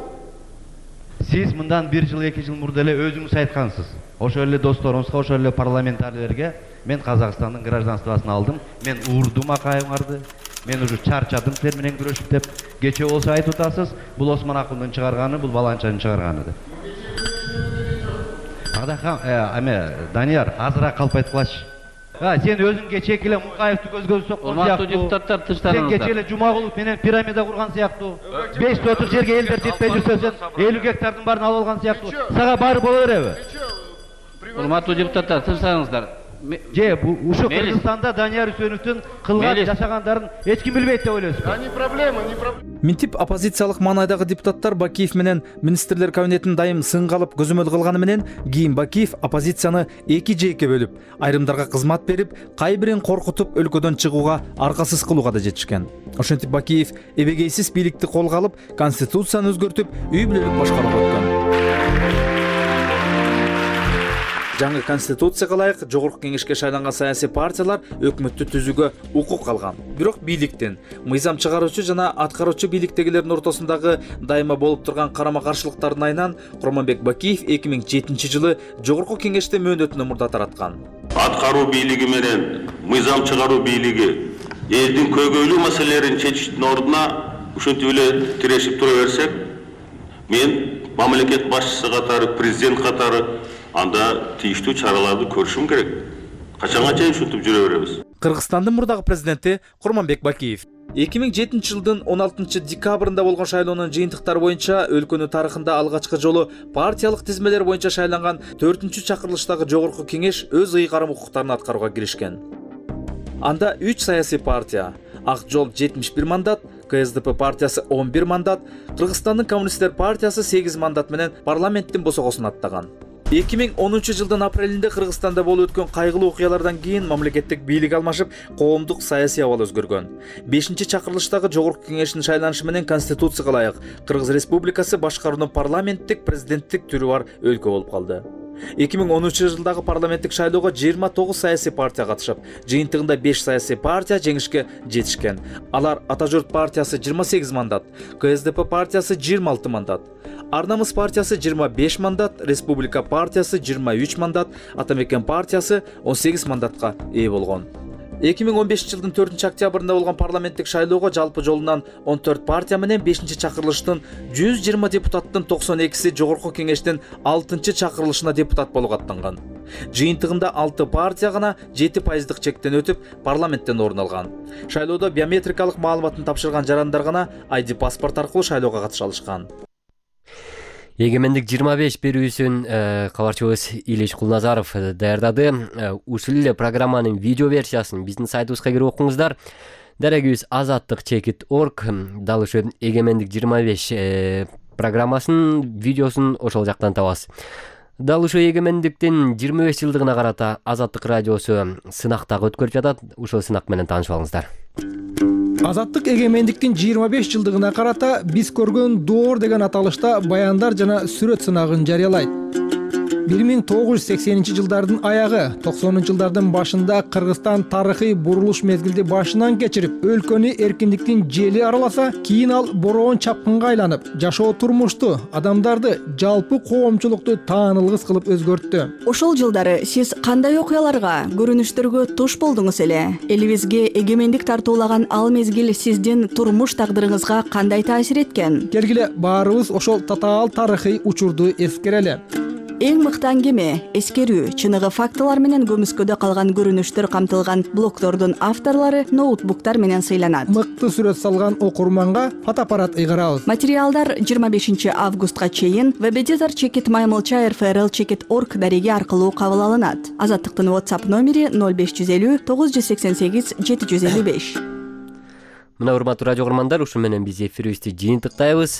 S11: Сиз мындан бир жыл, эки жыл мурда эле өзүңүз айткансыз. Ошол эле досторуңузга, ошол эле парламентарийлерге мен Казакстандын гражданствосын алдым. Мен уурдум акайыңарды. Мен уже чарчадым силер менен күрөшүп деп. Кече болсо айтып атасыз, бул Осмон Акундун чыгарганы, бул Баланчанын чыгарганы деп. Адахан, эме Данияр, азыраак калп айткылачы. Сен өзүңгө чеки эле Мукаевди көзгө соккон сыяктуу. Урматтуу депутаттар, тынчтарыңыздар. Сен кече эле Жумагулов менен пирамида курган сыяктуу. беш сотук жерге элдер жетпей жүрсө сен элүү гектардын баарын алып алган сыяктуу. Сага баары боло береби? Урматтуу депутаттар, тынчтарыңыздар. Же, ушу Кыргызстанда Данияр Үсөновдун кылган жашагандарын эч ким билбейт деп ойлойсуз?
S10: Не проблема, не проблема.
S2: Минтип оппозициялык маанайдагы депутаттар Бакиев менен министрлер кабинетин дайым сынга алып көзөмөл кылганы менен кийин Бакиев оппозицияны эки жээкке бөлүп, айрымдарга кызмат берип, кайбирин коркутуп өлкөдөн чыгууга, аркасыз кылууга да жетишкен. Ошентип Бакиев эбегейсиз бийликти колго алып, конституцияны өзгөртүп, үй бүлөлүк башкарууга өткөн. Жаңы конституцияга ылайык жогорку кеңешке шайланган саясий партиялар өкмөттү түзүүгө укук алган. Бирок бийликтин, мыйзам чыгаруучу жана аткаруучу бийликтегилердин ортосундагы дайыма болуп турган карама-каршылыктардын айынан Курманбек Бакиев эки миң жетинчи жылы жогорку кеңеште мөөнөтүнө мурда тараткан.
S12: Аткаруу бийлиги менен мыйзам чыгаруу бийлиги элдин көйгөйлүү маселелерин чечиштин ордуна ушинтип эле тирешип тура берсек, мен мамлекет башчысы катары, президент катары анда тийиштүү чараларды көрүшүм керек. Качанга чейин ушинтип жүрө беребиз?
S2: Кыргызстандын мурдагы президенти Курманбек Бакиев эки миң жетинчи жылдын он алтынчы декабрында болгон шайлоонун жыйынтыктары боюнча өлкөнүн тарыхында алгачкы жолу партиялык тизмелер боюнча шайланган төртүнчү чакырылыштагы жогорку кеңеш өз ыйгарым укуктарын аткарууга киришкен. Анда үч саясий партия, Ак жол жетимиш бир мандат, К С Д П партиясы он бир мандат, Кыргызстандын коммунисттер партиясы сегиз мандат менен парламенттин босогосун аттаган. эки миң онунчу жылдын апрелинде Кыргызстанда болуп өткөн кайгылуу окуялардан кийин мамлекеттик бийлик алмашып, коомдук саясий абал өзгөргөн. бешинчи чакырылыштагы жогорку кеңештин шайланышы менен конституцияга ылайык Кыргыз Республикасы башкаруунун парламенттик, президенттик түрү бар өлкө болуп калды. эки миң онунчу жылдагы парламенттик шайлоого жыйырма тогуз саясий партия катышып, жыйынтыгында беш саясий партия жеңишке жетишкен. Алар Ата журт партиясы жыйырма сегиз мандат, К С Д П партиясы жыйырма алты мандат, Ар намыс партиясы жыйырма беш мандат, Республика партиясы жыйырма үч мандат, Ата мекен партиясы он сегиз мандатка ээ болгон. эки миң он бешинчи жылдын төртүнчү октябрында болгон парламенттик шайлоого жалпы жолунан он төрт партия менен бешинчи чакырылыштын жүз жыйырма депутаттын токсон экиси жогорку кеңештин алтынчы чакырылышына депутат болууга аттанган. Жыйынтыгында алты партия гана жети пайыздык чектен өтүп, парламенттен орун алган. Шайлоодо биометрикалык маалыматын тапшырган жарандар гана ай ди паспорт аркылуу шайлоого катыша алышкан.
S1: Эгемендик жыйырма беш берүүсүн кабарчыбыз Илиш Кулназаров даярдады. Ушул эле программанын видео версиясын биздин сайтыбызга кирип окуңуздар. Дарегибиз азаттык чекит точка орг дал ошо Эгемендик жыйырма беш программасынын видеосун ошол жактан табасыз. Дал ушул Эгемендиктин жыйырма беш жылдыгына карата Азаттык радиосу сынак дагы өткөрүп жатат. Ушул сынак менен таанышып алыңыздар.
S9: Азаттык эгемендиктин жыйырма беш жылдыгына карата биз көргөн доор деген аталышта баяндар жана сүрөт сынагын жарыялайт. бир миң тогуз жүз сексенинчи жылдардын аягы, токсонунчу жылдардын башында Кыргызстан тарыхый бурулуш мезгилди башынан кечирип, өлкөнү эркиндиктин жели араласа, кийин ал бороон чапкынга айланып, жашоо турмушту, адамдарды, жалпы коомчулукту таанылгыс кылып өзгөрттү.
S14: Ошол жылдары сиз кандай окуяларга, көрүнүштөргө туш болдуңуз эле? Элибизге эгемендик тартуулаган ал мезгил сиздин турмуш тагдырыңызга кандай таасир эткен?
S9: Келгиле баарыбыз ошол татаал тарыхый учурду эскерели.
S14: эң мыкты аңгеме, эскерүү, чыныгы фактылар менен көмүскөдө калган көрүнүштөр камтылган блогдордун авторлору ноутбуктар менен сыйланат.
S13: Мыкты сүрөт салган окурманга фотоаппарат ыйгарабыз.
S14: Материалдар жыйырма бешинчи августка чейин веб-эдитор чекит маймылча эр эф эр эл чекит точка орг дареги аркылуу кабыл алынат. Азаттыктын WhatsApp номери ноль беш жүз элүү тогуз жүз сексен сегиз жети жүз элүү беш.
S1: Мына урматтуу радио угармандар, ушу менен биз эфирибизди жыйынтыктайбыз.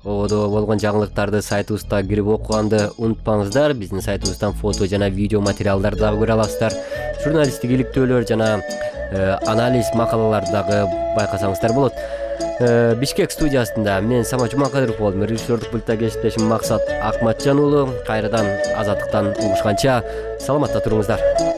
S1: Ободо болгон жаңылыктарды сайтыбызда кирип окуганды унутпаңыздар. Биздин сайтыбыздан фото жана видео материалдарды дагы көрө аласыздар. Журналисттик иликтөөлөр жана анализ макалаларды дагы байкасаңыздар болот. Бишкек студиясында мен Самат Жумакадыров болдум. Режиссердик пультта кесиптешим Максат Акматжан уулу. Кайрадан Азаттыктан угушканча саламатта туруңуздар.